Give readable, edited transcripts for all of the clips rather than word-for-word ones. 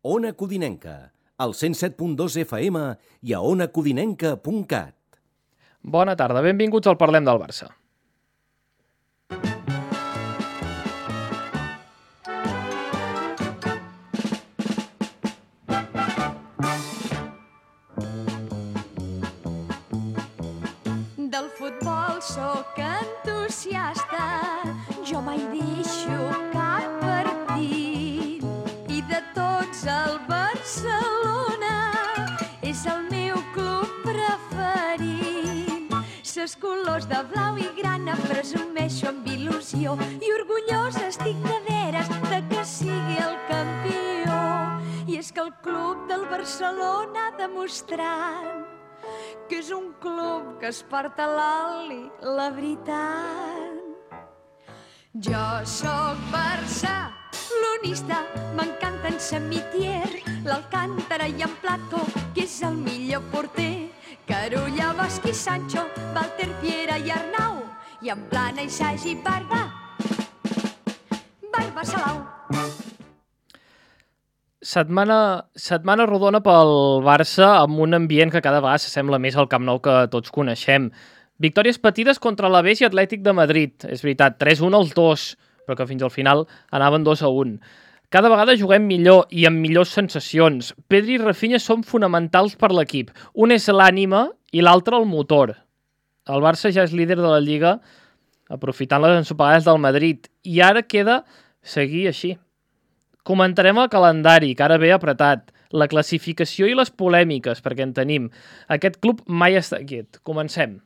Ona Codinenca, al 107.2 FM i a onacodinenca.cat. Bona tarda, benvinguts al Parlem del Barça. Del futbol sóc entusiasta, jo mai deixo cap partit. I de tots el Barcelona és el meu club preferit. Ses colors de blau i grana presumeixo amb il·lusió i orgullosa estic de veres de que sigui el campió. I és que el club del Barcelona ha demostrat que és un club que es porta l'oli, la veritat. Jo sóc barcelonista, m'encanten Samitier, l'Alcántara i en Plató, que és el millor porter. Carulla, Bosch i Sancho, Walter, Piera i Arnau, i en Plana i Sagi, Barba Salau. Setmana rodona pel Barça amb un ambient que cada vegada s'assembla més al Camp Nou que tots coneixem. Victòries patides contra l'Alavés i Atlètic de Madrid. És veritat, 3-1 els dos, però que fins al final anaven 2-1. Cada vegada juguem millor i amb millors sensacions. Pedri i Rafinha són fonamentals per l'equip. Un és l'ànima i l'altre el motor. El Barça ja és líder de la Lliga, aprofitant les ensopegades del Madrid. I ara queda seguir així. Comentarem el calendari, que ara ve apretat, la classificació i les polèmiques, perquè en tenim. Aquest club mai està quiet. Comencem.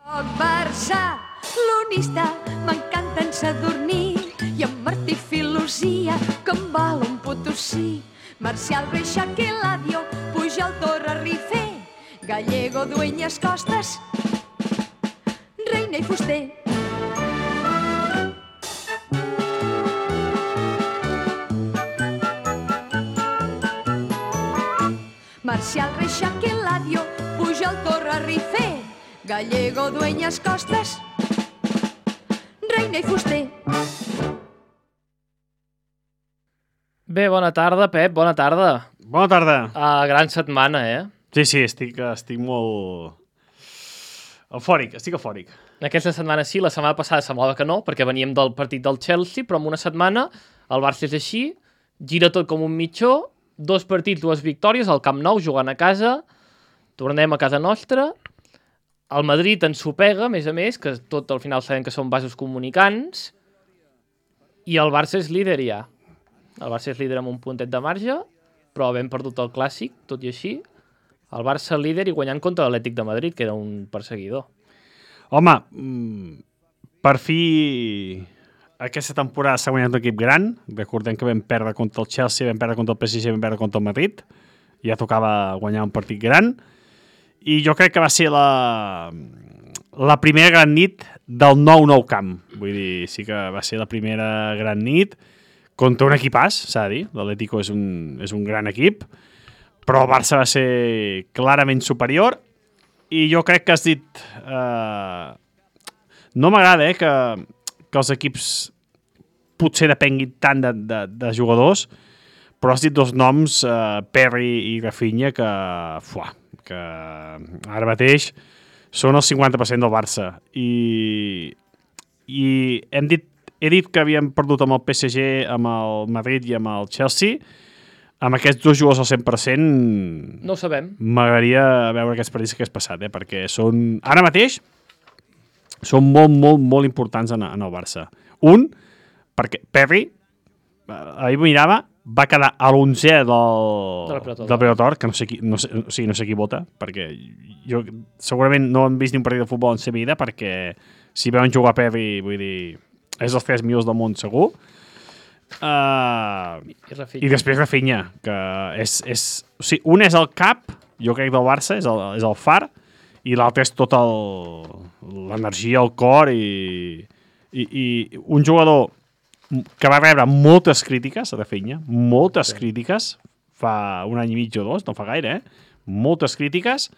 Soc barcelonista, m'encanten Sadurní i en Martí Filosia, que em val un Potosí. Marcial, Reixac i Eladio, Pujol, Torra, Rifé, Gallego, Dueñas, Costas, Reina i Fuster. Marcial, Reixac, Eladio, Pujol, Torra, Rifé, Gallego, Dueñas, Costas, Reina i Fuster. Bé, bona tarda, Pep, bona tarda. Bona tarda. Gran setmana, Sí, estic molt eufòric, estic eufòric. Aquesta setmana sí, la setmana passada semblava que no, perquè veníem del partit del Chelsea, però en una setmana el Barça és així, gira tot com un mitjó, 2 partits, 2 victòries, al Camp Nou, jugant a casa, tornem a casa nostra, el Madrid ensopega, a més, que tot al final sabem que són vasos comunicants, i el Barça és líder ja. El Barça és líder amb un puntet de marge, però havent perdut el Clàssic, tot i així, el Barça líder i guanyant contra l'Atlètic de Madrid, que era un perseguidor. Home, per fi aquesta temporada s'ha guanyat un equip gran. Recordem que vam perdre contra el Chelsea, vam perdre contra el PSG, vam perdre contra el Madrid. Ja tocava guanyar un partit gran. I jo crec que va ser la primera gran nit del nou camp. Vull dir, sí que va ser la primera gran nit contra un equipàs, s'ha de dir. L'Atlético és un gran equip, però el Barça va ser clarament superior. I jo crec que has dit... No m'agrada, que els equips potser depenguin tant de jugadors, però has dit 2 noms, Perry i Rafinha, que ara mateix són el 50% del Barça. I he dit que havíem perdut amb el PSG, amb el Madrid i amb el Chelsea. Amb aquests 2 jugadors al 100%... No ho sabem. M'agradaria veure aquests partits que has passat, perquè són... Ara mateix són molt importants en el Barça. Un, perquè Perry, ahir mirava, va quedar a l'11è del Predator, que no sé qui vota, perquè jo segurament no hem vist ni un partit de futbol en sa vida, perquè si veuen jugar Perry, vull dir, és dels 3 millors del món segur. I després Rafinha, que o sigui, un és el cap, jo crec, del Barça, és el far, i l'altre és tot l'energia, el cor i un jugador que va rebre moltes crítiques, Rafinha, moltes crítiques, fa un any i mig o 2, no fa gaire, moltes crítiques.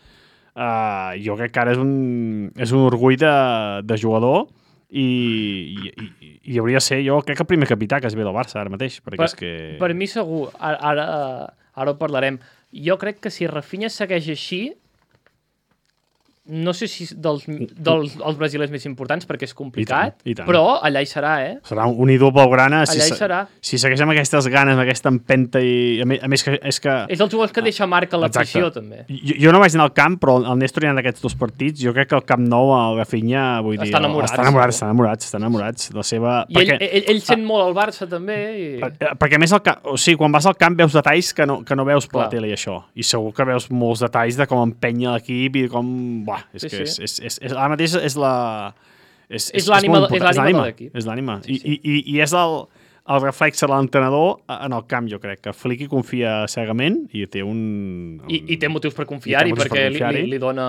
Jo crec que ara és un orgull de jugador i hauria de ser, jo crec que el primer capità que es ve del Barça ara mateix, perquè és que... Per mi segur, ara ho parlarem. Jo crec que si Rafinha segueix així, no sé si dels brasilers més importants, perquè és complicat, I tant. però allà hi serà, Serà un ídol blaugrana Allà hi serà. si segueix amb aquestes ganes, amb aquesta empenta i a més que és que... És dels jugadors que deixa marca l'afició, també. Jo no vaig anar al camp, però el Néstor hi ha d'aquests 2 partits. Jo crec que el Camp Nou, el Rafinha, vull dir... Està enamorats. La seva... I ell sent molt al Barça, també. Perquè a més, quan vas al camp veus detalls que no veus per la tele i això. I segur que veus molts detalls de com empenya l'equip i com... És que ara mateix és la... És l'ànima de l'equip. És l'ànima. I és el reflex de l'entrenador en el camp, jo crec, que Flicky confia cegament i té I té motius per confiar-hi, perquè li dona...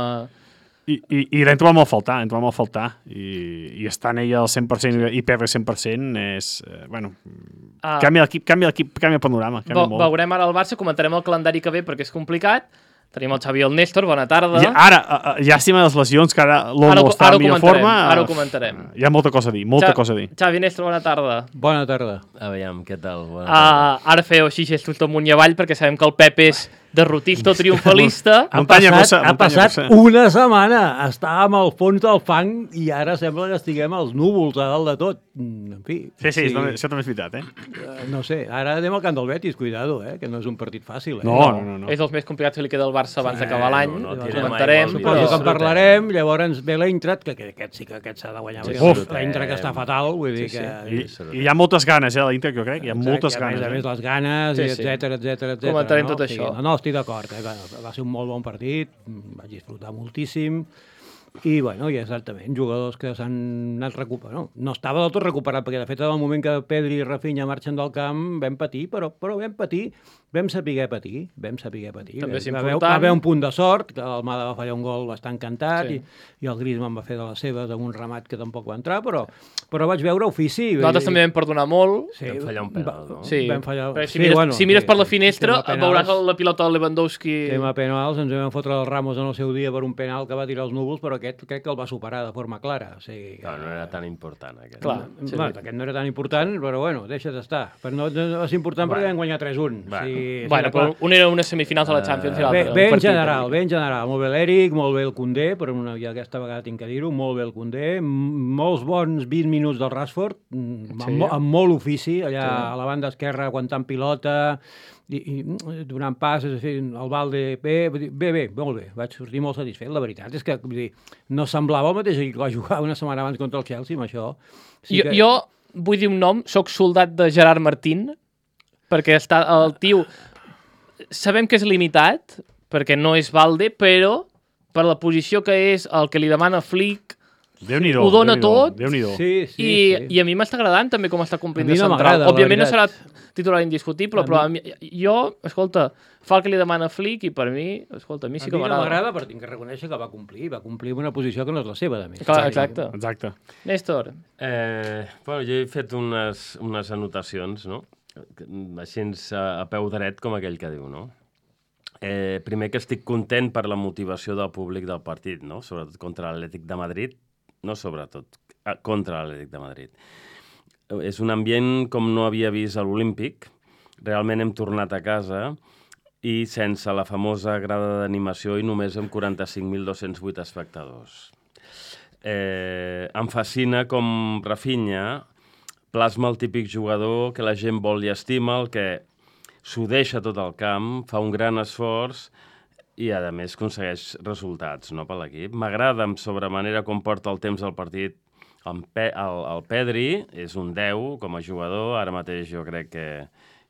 I l'hem trobat molt a faltar. I estar en ella al 100% i perdre 100% és... Canvia l'equip, canvia el panorama. Veurem ara el Barça, comentarem el calendari que ve perquè és complicat. Tenim el Xavi i el Néstor, bona tarda. Llàstima les lesions, que ara l'Olmo està en millor forma. Ara ho comentarem. Hi ha molta cosa a dir, Xavi, Néstor, bona tarda. Bona tarda. Aviam, què tal? Bona tarda. Ara feu així gestos damunt i avall, perquè sabem que el Pep és derrotista o triomfalista. Ha passat una setmana. Estàvem al fons del fang i ara sembla que estiguem als núvols a dalt de tot. En fi. Sí, això també és veritat, No sé, ara anem al camp del Betis, cuidado, que no és un partit fàcil. No. És els més complicats que li queda al Barça abans d'acabar l'any. Comentarem. Suposo que en parlarem, llavors ve l'Eintracht, que aquest s'ha de guanyar. L'Eintracht està fatal, vull dir que... I hi ha moltes ganes, l'Eintracht, jo crec. Hi ha moltes ganes. A més, les ganes, etcètera. Comentarem tot això. No, estic d'acord. Va ser un molt bon partit, vaig disfrutar moltíssim. I, i exactament, jugadors que s'han anat recuperant. No estava del tot recuperat, perquè de fet en el moment que Pedri i Rafinha marxen del camp vam patir, però vam patir, vam saber patir. També és important. Va haver un punt de sort, que l'Almada va fallar un gol bastant cantat i el Griezmann va fer de les seves amb un remat que tampoc va entrar, però vaig veure ofici. Nosaltres també vam perdonar molt. Vam fallar un penal, no? Sí, vam fallar... si mires per la finestra veuràs la pilota del Lewandowski. Tema penals, ens vam fotre el Ramos en el seu dia per un penal que va tirar els núvols, però aquest crec que el va superar de forma clara. No era tan important, aquest. Clar, aquest no era tan important, però deixa d'estar. No és important perquè vam guanyar 3-1. Però un era unes semifinals de la Champions i l'altre. Bé en general. Molt bé l'Eric, molt bé el Koundé, però ja aquesta vegada tinc que dir-ho, molt bé el Koundé, molts bons 20 minuts del Rashford, amb molt ofici, allà a la banda esquerra aguantant pilota, i donant passes, el Valde, bé, molt bé, vaig sortir molt satisfet. La veritat és que no semblava el mateix equip que va jugar una setmana abans contra el Chelsea, amb això. Jo vull dir un nom, soc soldat de Gerard Martín, perquè el tio, sabem que és limitat, perquè no és Valde, però per la posició que és, el que li demana Flick, ho dona tot, i a mi m'està agradant també com està complint de central. Òbviament no serà titular indiscutible, però escolta, fa el que li demana Flick i per mi, a mi sí que m'agrada. A mi no m'agrada, però tinc que reconèixer que va complir en una posició que no és la seva, de més. Exacte. Néstor. Jo he fet unes anotacions, no? Així a peu dret, com aquell que diu, no? Primer que estic content per la motivació del públic del partit, no? Sobretot contra l'Atlètic de Madrid, no sobretot, contra l'Atlètic de Madrid. És un ambient com no havia vist a l'Olímpic. Realment hem tornat a casa i sense la famosa grada d'animació i només amb 45.208 espectadors. Em fascina com Rafinha plasma el típic jugador que la gent vol i estima, el que s'ho deixa tot el camp, fa un gran esforç i, a més, aconsegueix resultats per l'equip. M'agrada amb sobremanera com porta el temps del partit. El Pedri és un 10 com a jugador, ara mateix jo crec que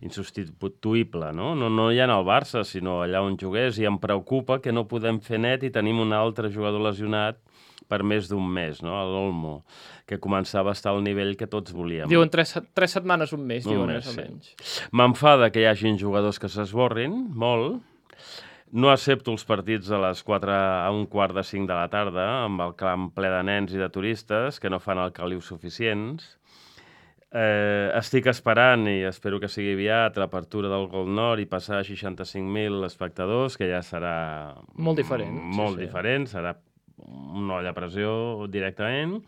insubstituïble, no? No ja en el Barça, sinó allà on jugués, i em preocupa que no podem fer net i tenim un altre jugador lesionat per més d'un mes, no? L'Olmo, que començava a estar al nivell que tots volíem. Diuen 3 setmanes, un mes, diuen més o menys. M'enfada que hi hagin jugadors que s'esborrin, molt. No accepto els partits a les 4 a un quart de 5 de la tarda, amb el camp ple de nens i de turistes que no fan el caliu suficients. Estic esperant, i espero que sigui aviat, l'apertura del Gol Nord i passar a 65.000 espectadors, que ja serà molt diferent. Molt diferent, serà una olla a pressió directament.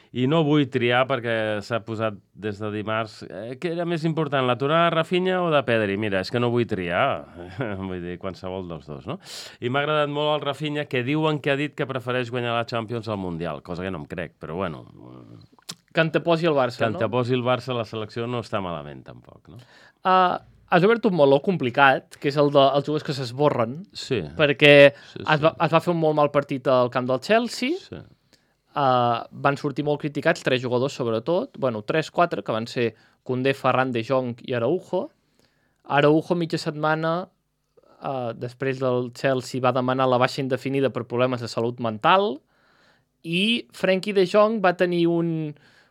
I no vull triar perquè s'ha posat des de dimarts què era més important, la tornada de Rafinha o de Pedri? Mira, és que no vull triar, vull dir, qualsevol dels dos, no? I m'ha agradat molt el Rafinha, que diuen que ha dit que prefereix guanyar la Champions al Mundial, cosa que no em crec, però bueno... Que anteposi el Barça, no? Que anteposi el Barça a la selecció no està malament, tampoc, no? Has obert un meló complicat, que és el dels jugadors que s'esborren, perquè es va fer un molt mal partit al camp del Chelsea, van sortir molt criticats 3 jugadors sobretot, 3-4, que van ser Koundé, Ferran, De Jong i Araujo. Araujo mitja setmana, després del Chelsea, va demanar la baixa indefinida per problemes de salut mental, i Frenkie De Jong va tenir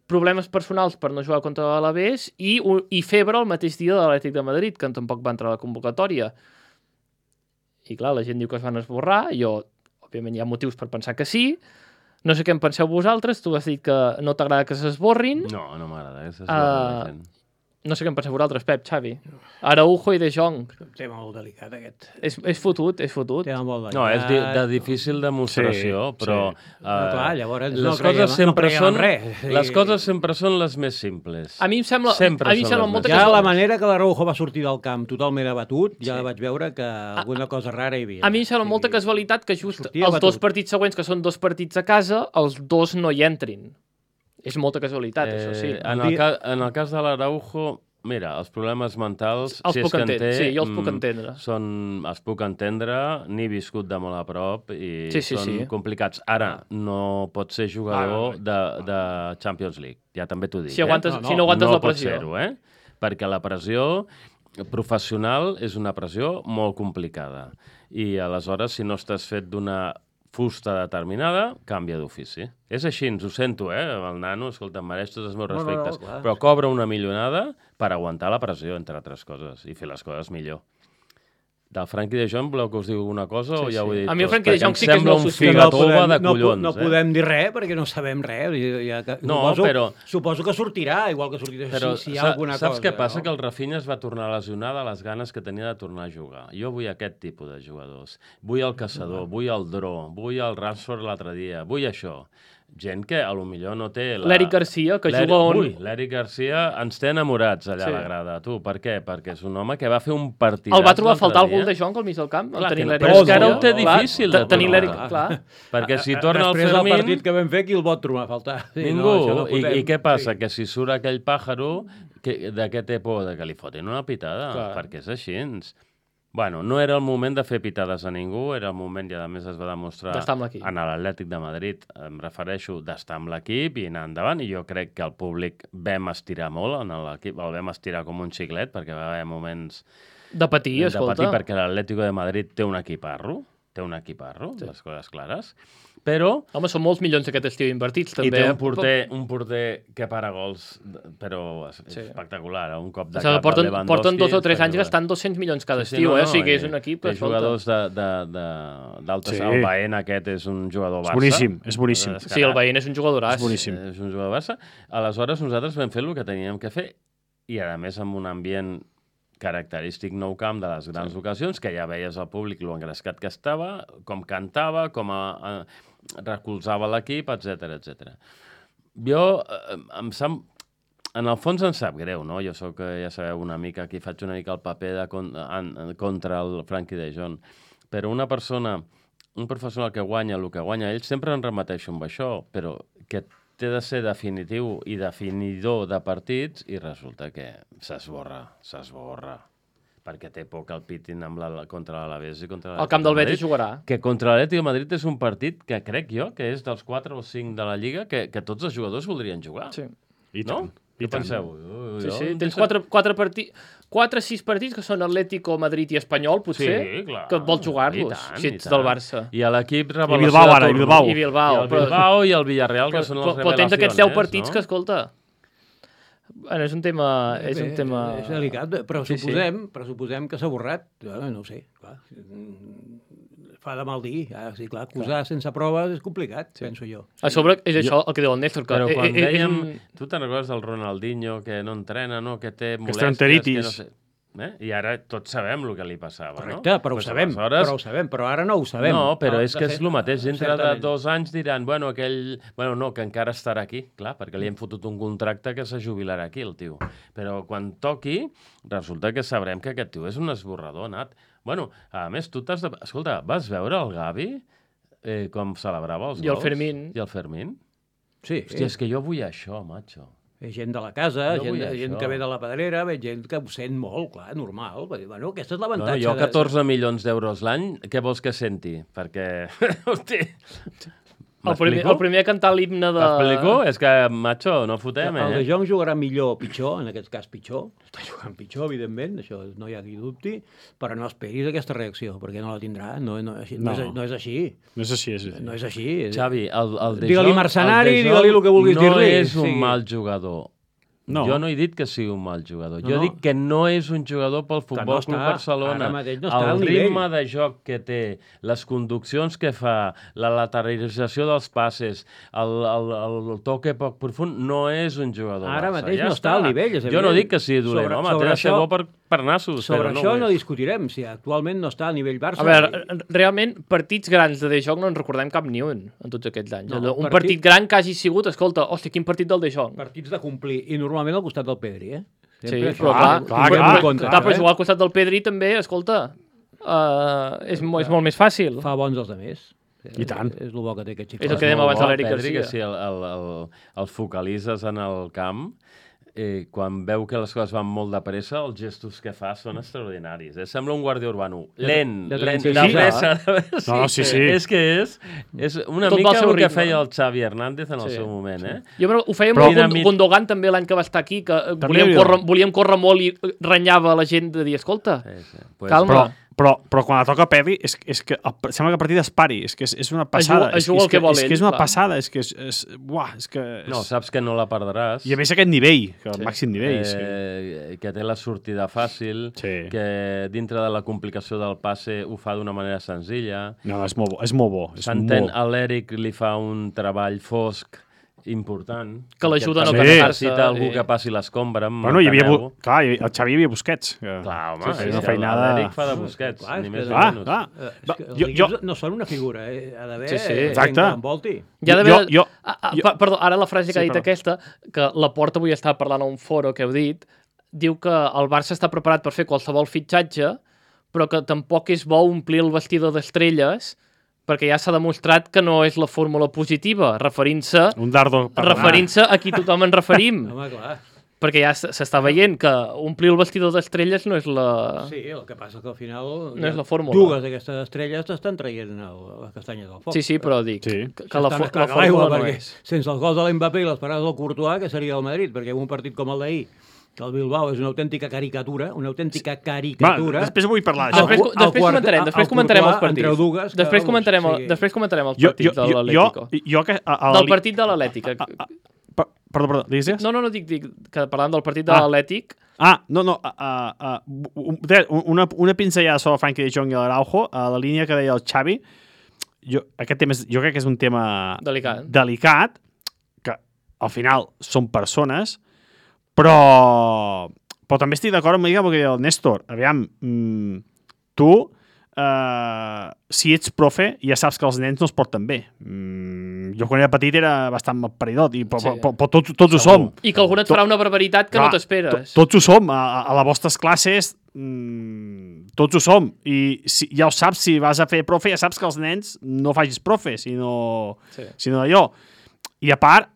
problemes personals per no jugar contra l'Alavés i febre el mateix dia de l'Atlètic de Madrid, que tampoc va entrar a la convocatòria. I clar, la gent diu que es van esborrar, òbviament hi ha motius per pensar que sí. No sé què en penseu vosaltres, tu has dit que no t'agrada que s'esborrin. No, no m'agrada que s'esborrin la gent. No sé què en penseu vosaltres, Pep, Xavi. Araujo i De Jong. Tema molt delicat, aquest. És fotut, és fotut. Tema molt delicat. No, és de difícil demostració, però... clar, llavors les coses sempre són les coses sempre són les més simples. A mi em sembla molta ja la manera que l'Araujo va sortir del camp totalment abatut, ja vaig veure que alguna cosa rara hi havia. A mi em sembla molta casualitat que just els 2 partits següents, que són 2 partits a casa, els 2 no hi entrin. És molta casualitat, això sí. En el cas de l'Araujo, mira, els problemes mentals, si és que en té... Sí, jo els puc entendre. Els puc entendre, n'he viscut de molt a prop i són complicats. Ara, no pot ser jugador de Champions League, ja també t'ho dic. Si no aguantes la pressió. No pot ser-ho, perquè la pressió professional és una pressió molt complicada. I aleshores, si no estàs fet d'una fusta determinada, canvia d'ofici. És així, ens ho sento, el nano, escolta, em mereix tots els meus respectes, però cobra una milionada per aguantar la pressió, entre altres coses, i fer les coses millor. Del Frenkie de Jong, voleu que us digui una cosa o ja ho he dit? A mi el Frenkie de Jong sí que és molt sospitós. No podem dir res perquè no sabem res. Suposo que sortirà, igual que sortirà si hi ha alguna cosa. Saps què passa? Que el Rafinha es va tornar a lesionar de les ganes que tenia de tornar a jugar. Jo vull aquest tipus de jugadors. Vull el caçador, vull el dro, vull el Rashford l'altre dia, vull això. Gent que a lo millor no té... L'Eric Garcia, que juga on... Ui, l'Eric Garcia ens té enamorats allà a la grada. Tu, per què? Perquè és un home que va fer un partidàs... El va trobar a faltar el gol de Jong al mig del camp? Però és que ara ho té difícil de tenir l'Eric, clar. Perquè si torna el Fermín... Després del partit que vam fer, qui el pot trobar a faltar? Ningú. I què passa? Que si surt aquell pàjaro, de què té por? De que li fotin una pitada? Perquè és així. Bueno, no era el moment de fer pitades a ningú, era el moment, i a més es va demostrar en l'Atlètic de Madrid, em refereixo d'estar amb l'equip i anar endavant, i jo crec que el públic vam estirar molt en l'equip, el vam estirar com un xiclet, perquè va haver moments de patir, escolta. Perquè l'Atlético de Madrid té un equiparro, les coses clares, però... Home, són molts milions aquest estiu invertits, també. I té un porter que para gols, però espectacular, un cop de cap de Lewandowski. Porten 2 o 3 anys gastant 200 milions cada estiu, o sigui que és un equip que... Té jugadors d'alta... El Baena aquest és un jugador Barça. És boníssim. Sí, el Baena és un jugadoràs. És boníssim. És un jugador Barça. Aleshores, nosaltres vam fer el que teníem que fer, i a més amb un ambient característic Nou Camp de les grans ocasions, que ja veies al públic lo engrescat que estava, com cantava, com recolzava l'equip, etc. Jo, en el fons em sap greu, no? Jo soc, ja sabeu, una mica, aquí faig una mica el paper contra el Frenkie de Jong, però un professional que guanya el que guanya ell, sempre em remeteixo amb això, però que té de ser definitiu i definidor de partits i resulta que s'esborra, perquè té por que el pitin contra l'Alavés i contra l'Atlètic. El camp del Betis jugarà. Que contra l'Atlètic de Madrid és un partit que crec jo que és dels 4 o 5 de la Lliga que tots els jugadors voldrien jugar. Sí. I tant. Què penseu? Sí, tens 4-6 partits que són Atlético, Madrid i Espanyol, potser, que vols jugar-los, si ets del Barça. I a l'equip revelació I Bilbao i el Villarreal, que són les revelacions. Però tens aquests 10 partits que, escolta, és un tema... És delicat, però pressuposem que s'ha borrat. No ho sé, clar. Fa de mal dir. Sí, clar, acusar sense proves és complicat, penso jo. A sobre és això el que diu el Néstor. Però quan dèiem... Tu te'n recordes del Ronaldinho, que no entrena, que té molèsties, que no sé... I ara tots sabem el que li passava, Correcte, no? però ho Pues sabem, però ara no ho sabem. No, però és que és el mateix. Dintre de certament. 2 anys diran, bueno, que encara estarà aquí, clar, perquè li hem fotut un contracte que se jubilarà aquí, el tio. Però quan toqui, resulta que sabrem que aquest tio és un esborrador, Nat. Bueno, a més, tu t'has de... Escolta, vas veure el Gavi com celebrava els gols? I el Fermín. I el Fermín? Sí, Hòstia, és que jo vull això, macho. Ve gent de la casa, Jo vull gent això. que ve de la pedrera, ve gent que ho sent molt, clar, normal. Bueno, aquest és l'avantatge. Jo 14 milions d'euros l'any, què vols que senti? Perquè, hosti... El primer a cantar l'himne de... M'explico? És que, macho, no fotem, El De Jong jugarà millor o pitjor, en aquest cas pitjor. Està jugant pitjor, evidentment, això no hi ha qui dubti, però no esperis aquesta reacció, perquè no la tindrà. No és així. No és així. No és així. Xavi, el De Jong... Digue-li mercenari, el De Jong digue-li el que vulguis dir-li. No és un Sí. mal jugador. No. Jo no he dit que sigui un mal jugador. No, Jo no. dic que no és un jugador pel Futbol Club Barcelona. Ara mateix no està El al nivell. ritme de joc que té, les conduccions que fa, la lateralització dels passes, el toque poc profund, no és un jugador Ara Barça. mateix no està al nivell, és Jo evident. no dic que sigui dolent, home, té de ser bo per nassos. Sobre però això ho no és. discutirem, si actualment no està al nivell Barça. A veure, realment, partits grans de De Jong no en recordem cap ni un en tots aquests anys. No, Un partit gran que hagi sigut, escolta, hòstia, quin partit del De Jong. Partits de complir, i normalment al costat del Pedri, eh? Sí, Sempre però això. clar, Tinguem en clar, compte, però jugar al costat del Pedri també, escolta, és molt més fàcil. Fa bons els altres. I tant. És el bo que té aquest xic. És el que dèiem abans de l'Eric Pedri, Garcia. que si el focalitzes en el camp, quan veu que les coses van molt de pressa, els gestos que fa són extraordinaris. Sembla un guàrdia urbano. Lent, de lent, 36 de pressa. No, sí. És que és una Tot va al mica seu el que ritme. feia el Xavi Hernández en el Sí. seu moment, eh? Jo ho feia Però- molt Gundogan també l'any que va estar aquí, que volíem córrer molt i renyava la gent de dir, escolta, Sí. calma. Però quan la toca Pedri, és que sembla que el partit es pari, és que és una passada. Es juga el que vol és ell, que és una clar. passada, és que és... No, saps que no la perdràs. I a més aquest nivell, que el màxim nivell. Que té la sortida fàcil, Sí. que dintre de la complicació del passe ho fa d'una manera senzilla. No, és molt bo, és molt bo. S'entén, a l'Eric li fa un treball fosc important. Que l'ajuda a no perquè cansar-se, necessita algú i- que passi l'escombra. Bueno, hi havia, clar, el Xavi hi havia Busquets. Que... Clar, home, Sí, és una que feinada... l'Eric fa de Busquets, Clar, ni és més que- ni Clar, menys. clar. És que els Jo- equips no són una figura, ha d'haver Sí, sí. gent Exacte. que l'envolti. Hi ha d'haver... Jo- Perdó, ara la frase que ha dit perdó. aquesta, que la Porta avui estava parlant a un foro que heu dit, diu que el Barça està preparat per fer qualsevol fitxatge, però que tampoc és bo omplir el vestidor d'estrelles, perquè ja s'ha demostrat que no és la fórmula positiva, referint-se Un dardo... a qui tothom ens referim. Home, clar. Perquè ja s'està veient que omplir el vestidor d'estrelles no és la... Sí, el que passa que al final... No és la fórmula. Dues d'aquestes estrelles t'estan traient les castanyes del foc. Sí, però dic Sí. que la S'estan esclacant fórmula l'aigua, no perquè és. sense els gols de l'Mbappé i les parades del Courtois, que seria el Madrid, perquè un partit com el d'ahir, que el Bilbao és una autèntica caricatura, Va, després vull parlar d'això. Després comentarem els partits. Entre dues, que, Després comentarem els partits de l'Atlético. Del partit de l'Atlètic. Perdó, digues? No, dic que parlant del partit de l'Atlètic... No. Una pinzellada sobre Frenkie de Jong i l'Araujo, a la línia que deia el Xavi. Aquest tema jo crec que és un tema delicat, que al final són persones, però també estic d'acord amb el que deia el Néstor. Aviam, tu, si ets profe, ja saps que els nens no es porten bé. Jo quan era petit era bastant paridot, però tots ho som. I que algú et farà una barbaritat que no t'esperes. Tots ho som. A les vostres classes tots ho som. I ja ho saps, si vas a fer profe, ja saps que els nens no facis profe, sinó d'allò. I a part,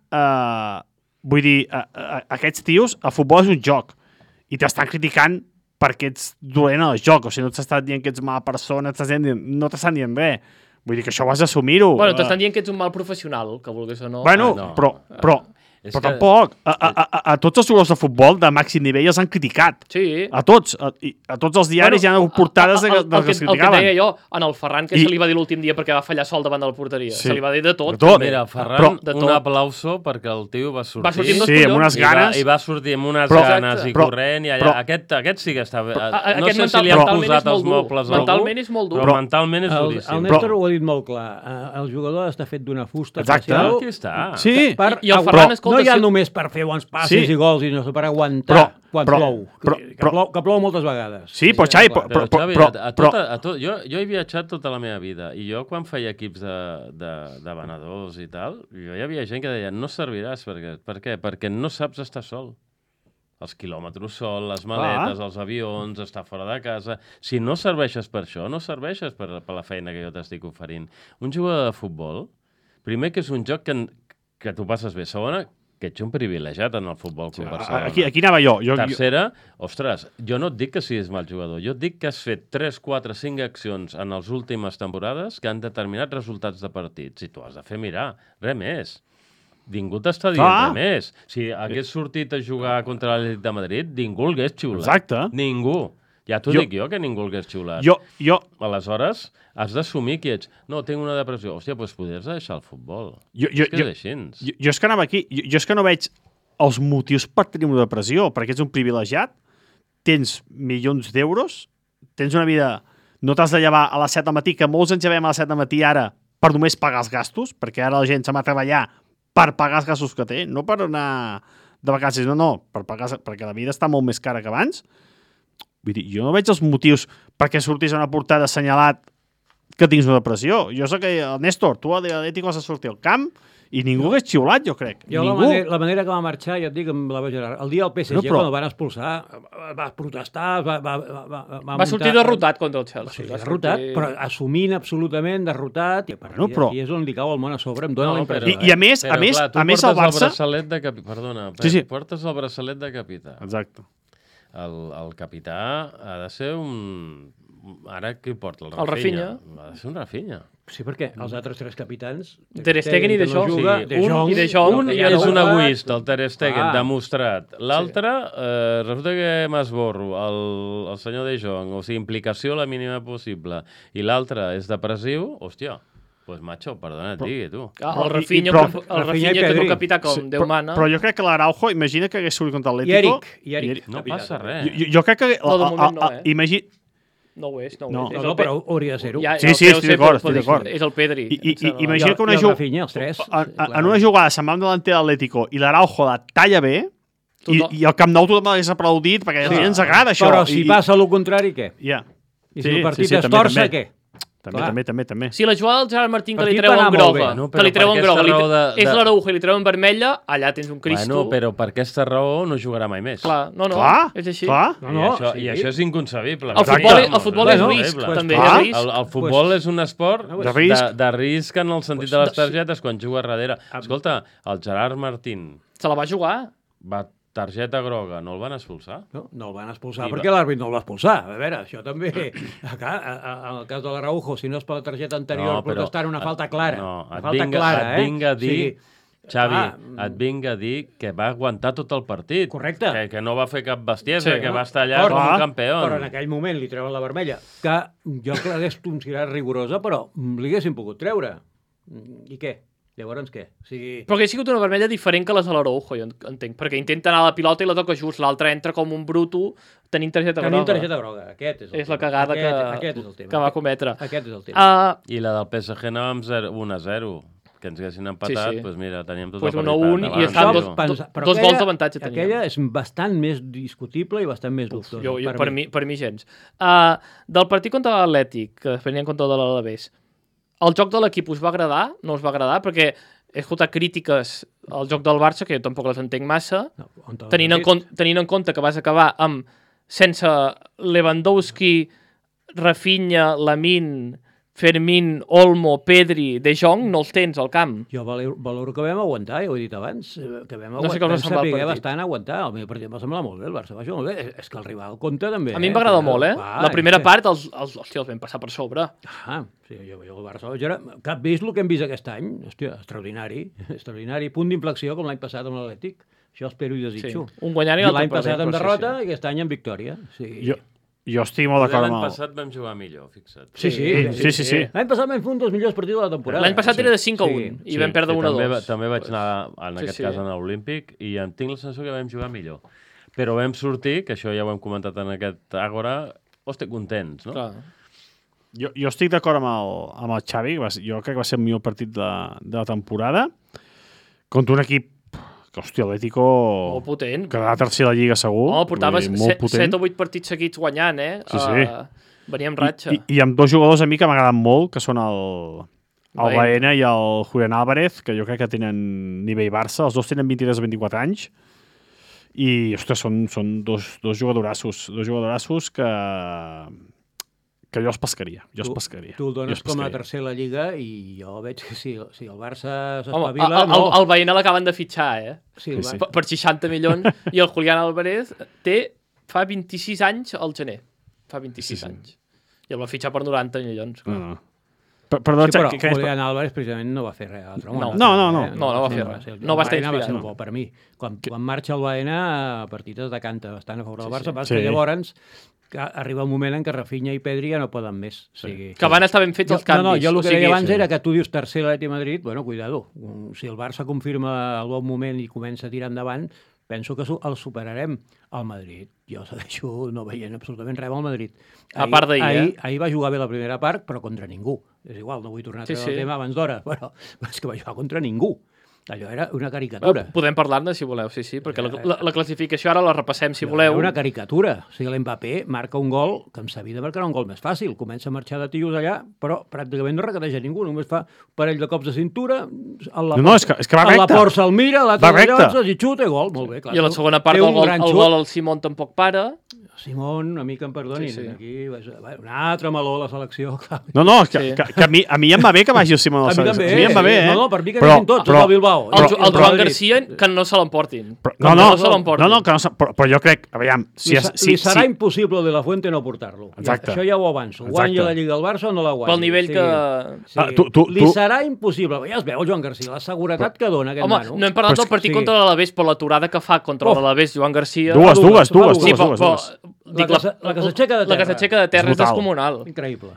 vull dir, aquests tios, el futbol és un joc. I t'estan criticant perquè ets dolent al joc. O sigui, no t'estan dient que ets mala persona, no t'estan dient res. Vull dir que això ho has d'assumir-ho. Bueno, t'estan dient que ets un mal professional, que vulguis o no. Bueno, però tampoc. A tots els jugadors de futbol de màxim nivell els han criticat. Sí. A tots. A tots els diaris hi ha hagut portades que els criticaven. El que deia jo, en el Ferran, que se li va dir l'últim dia perquè va fallar sol davant de la porteria. Se li va dir de tot. Mira, Ferran, un aplauso perquè el tio va sortir. Va sortir amb dos collons. amb unes ganes. I va sortir amb unes ganes i corrent. I allà, aquest sí que està bé. No sé si li han posat els mobles a algú. Mentalment és molt dur. Però mentalment és duríssim. El Néstor ho ha dit molt clar. El jugador està fet d'una fusta especial. Aquí està. Sí. I el Ferran, escolta, No hi ha només per fer bons passes i gols, sinó per aguantar quan plou. Que plou moltes vegades. Sí, però Xavi... Però, Xavi, jo he viatjat tota la meva vida i jo quan feia equips de venedors i tal, jo hi havia gent que deia no serviràs. Per què? Perquè no saps estar sol. Els quilòmetres sol, les maletes, els avions, estar fora de casa... Si no serveixes per això, no serveixes per la feina que jo t'estic oferint. Un jugador de futbol, primer que és un joc que tu passes bé. Segona, que ets un privilegiat en el Futbol Club Barcelona. Aquí anava jo. Tercera, ostres, jo no et dic que siguis mal jugador, jo et dic que has fet 3, 4, 5 accions en les últimes temporades que han determinat resultats de partits. I tu has de fer mirar, res més. Ningú t'està dient res més. Si hagués sortit a jugar contra l'Atlètic de Madrid, ningú el hagués xiulat. Exacte. Ningú. Ja t'ho dic jo, que ningú el hagués xiulat. Aleshores, has d'assumir que ets... No, tinc una depressió. Hòstia, doncs podries deixar el futbol. És que és així. Jo és que anava aquí. Jo és que no veig els motius per tenir una depressió, perquè ets un privilegiat, tens milions d'euros, tens una vida... No t'has de llevar a les 7 del matí, que molts ens llevem a les 7 del matí ara per només pagar els gastos, perquè ara la gent se va a treballar per pagar els gastos que té, no per anar de vacances, perquè la vida està molt més cara que abans. Vull dir, jo no veig els motius perquè sortís a una portada assenyalat que tinguis una depressió. Jo sé que el Néstor, tu a l'Atlètic vas a sortir al camp i ningú hagués xiulat, jo crec. La manera que va marxar, ja et dic, amb la Gerard, el dia del PSG, quan el van expulsar, va protestar, va sortir derrotat contra el Chelsea. Sí, derrotat, però assumint absolutament derrotat, i és on li cau el món a sobre, em dóna la impressió. I a més, el Barça... Portes el braçalet de capità. Exacte. El capità ha de ser un... Ara qui porta? El Rafinha. Ha de ser un Rafinha. Sí, perquè els altres 3 capitans... Ter Stegen i De Jong. Un és un egoista, el Ter Stegen, demostrat. L'altre, resulta que m'esborro, el senyor De Jong, o sigui, implicació la mínima possible. I l'altre és depressiu, hòstia, pues macho, perdona, et digui, tu. El Rafinha, que és un capità com Déu mana. Però jo crec que l'Araujo, imagina que hagués sortit contra l'Atlético... I Eric. No passa res. Jo crec que... No, de moment no, Imagina... No ho és. No, però hauria de ser-ho. Sí, estic d'acord. És el Pedri. Imagina que una una jugada se'n va amb delanter de l'Atlético i l'Araujo la talla bé i el Camp Nou tothom l'hagués aplaudit perquè a la gent ens agrada això. Però si passa el contrari, què? Ja. I si el partit es torça, què? També. Si la jugada del Gerard Martín que li treuen groga, és l'Araujo i li treuen vermella, allà tens un Cristo. Bueno, però per aquesta raó no jugarà mai més. Clar, és així. I això és inconcebible. El futbol és risc, també. El futbol és un esport de risc en el sentit de les targetes quan juga darrere. Escolta, el Gerard Martín... Se la va jugar. Targeta groga, no el van expulsar? No el van expulsar perquè l'àrbit no el va expulsar. A veure, això també... En el cas de l'Araujo, si no és per la targeta anterior, protestar una falta clara. No, et vinga a dir... Xavi, et vinga a dir que va aguantar tot el partit. Correcte. Que no va fer cap bestiesa, que va estar allà com un campió. Però en aquell moment li treuen la vermella, que jo l'hagués considerat rigorosa, però li haguessin pogut treure. I què? Llavors què? Però que ha sigut una vermella diferent que les de l'Araujo, jo entenc, perquè intenta anar a la pilota i la toca just, l'altre entra com un bruto tenint targeta groga. Aquest és el tema. És la cagada que va cometre. Aquest és el tema. I la del PSG anàvem 1-0, que ens haguessin empatat, doncs mira, teníem tot el partit. 1-1 i estan dos gols d'avantatge. Aquella és bastant més discutible i bastant més dubtosa. Per mi gens. Del partit contra l'Atlètic, que després n'hi ha contra l'Alavés, el joc de l'equip us va agradar? No us va agradar? Perquè he escoltat crítiques al joc del Barça, que jo tampoc les entenc massa, tenint en compte que vas acabar sense Lewandowski, Rafinha, Lamine, Fermín, Olmo, Pedri, De Jong, no els tens al camp. Jo valoro que vam aguantar, ja ho he dit abans, que vam saber bastant aguantar. El meu partit em va semblar molt bé, el Barça va jugar molt bé. És que el rival compta també. A mi em va agradar molt, La primera part els vam passar per sobre. Sí, jo el Barça... Cap vist el que hem vist aquest any? Hòstia, extraordinari. Punt d'inflexió com l'any passat amb l'Atlètic. Això espero i desitjo. Un guanyant i l'altre l'any passat amb derrota i aquest any amb victòria. Jo estic molt d'acord amb l'any passat vam jugar millor, fixa't. Sí. L'any passat vam fer un dels millors partits de la temporada. L'any passat era de 5-1 i vam perdre 1-2. També vaig anar, en aquest cas, a l'Olímpic i em tinc la sensació que vam jugar millor. Però vam sortir, que això ja ho hem comentat en aquest Àgora, contents, no? Clar. Jo estic d'acord amb el Xavi, jo crec que va ser el millor partit de la temporada, contra un equip hòstia, l'Atlético... Molt potent. Quedarà tercer a la Lliga segur. Home, portava molt potent. 7 o 8 partits seguits guanyant, Sí. Venia amb ratxa. I amb dos jugadors a mi que m'agraden molt, que són el Baena i el Julián Álvarez, que jo crec que tenen nivell Barça. Els dos tenen 23 o 24 anys. I, ostres, són dos jugadorassos que jo els pescaria. Tu el dones com a tercer a la Lliga i jo veig que si el Barça s'espavila... El Baena l'acaben de fitxar, Sí. Per 60 milions. I el Julián Álvarez fa 26 anys al gener. Fa 26 anys. I el va fitxar per 90 milions. No. Però Julián Álvarez precisament no va fer res altre. No va fer res. No va estar inspirat. Va ser bo per mi. Quan marxa el Baena, el partit es decanta bastant a favor del Barça, que llavors arriba un moment en què Rafinha i Pedri ja no poden més. Que van estar ben fets els canvis. Jo el que deia abans era que tu dius tercer l'Atlètic de Madrid, bueno, cuidado. Si el Barça confirma el bon moment i comença a tirar endavant, penso que el superarem al Madrid. Jo segueixo no veient absolutament res al Madrid. A part d'ahir, ahir va jugar bé la primera part, però contra ningú. És igual, no vull tornar a treure el tema abans d'hora, però és que va jugar contra ningú. Allò era una caricatura. Podem parlar-ne, si voleu, sí, perquè la classificació ara la repassem, si voleu. Era una caricatura. O sigui, l'Mbappé marca un gol que em sabia de marcar un gol més fàcil. Comença a marxar de tios allà, però pràcticament no requereix a ningú. Només fa un parell de cops de cintura, és que va recte. A la por se'l mira, l'altre llocs, i xuta i gol. Molt bé, clar. I a la segona part el gol el Simón tampoc para. Simón, una mica em perdonin. Aquí, un altre meló a la selecció. No, que a mi em va bé que vagi el Simón a la selecció. A mi em va bé, No, per mi que vagin tots, el Bilbao. El Joan Garcia, que no se l'emportin. Però jo crec, aviam... Li serà impossible de la Fuente no portar-lo. Això ja ho avanço. Guanya la Lliga del Barça o no la guanya? Pel nivell que... Li serà impossible. Ja es veu, Joan Garcia, la seguretat que dona aquest nano. No hem parlat del partit contra l'Alavés, però l'aturada que fa contra l'Alavés, Joan Garcia... Dues. La que s'aixeca de terra. La que s'aixeca de terra és descomunal. Increïble.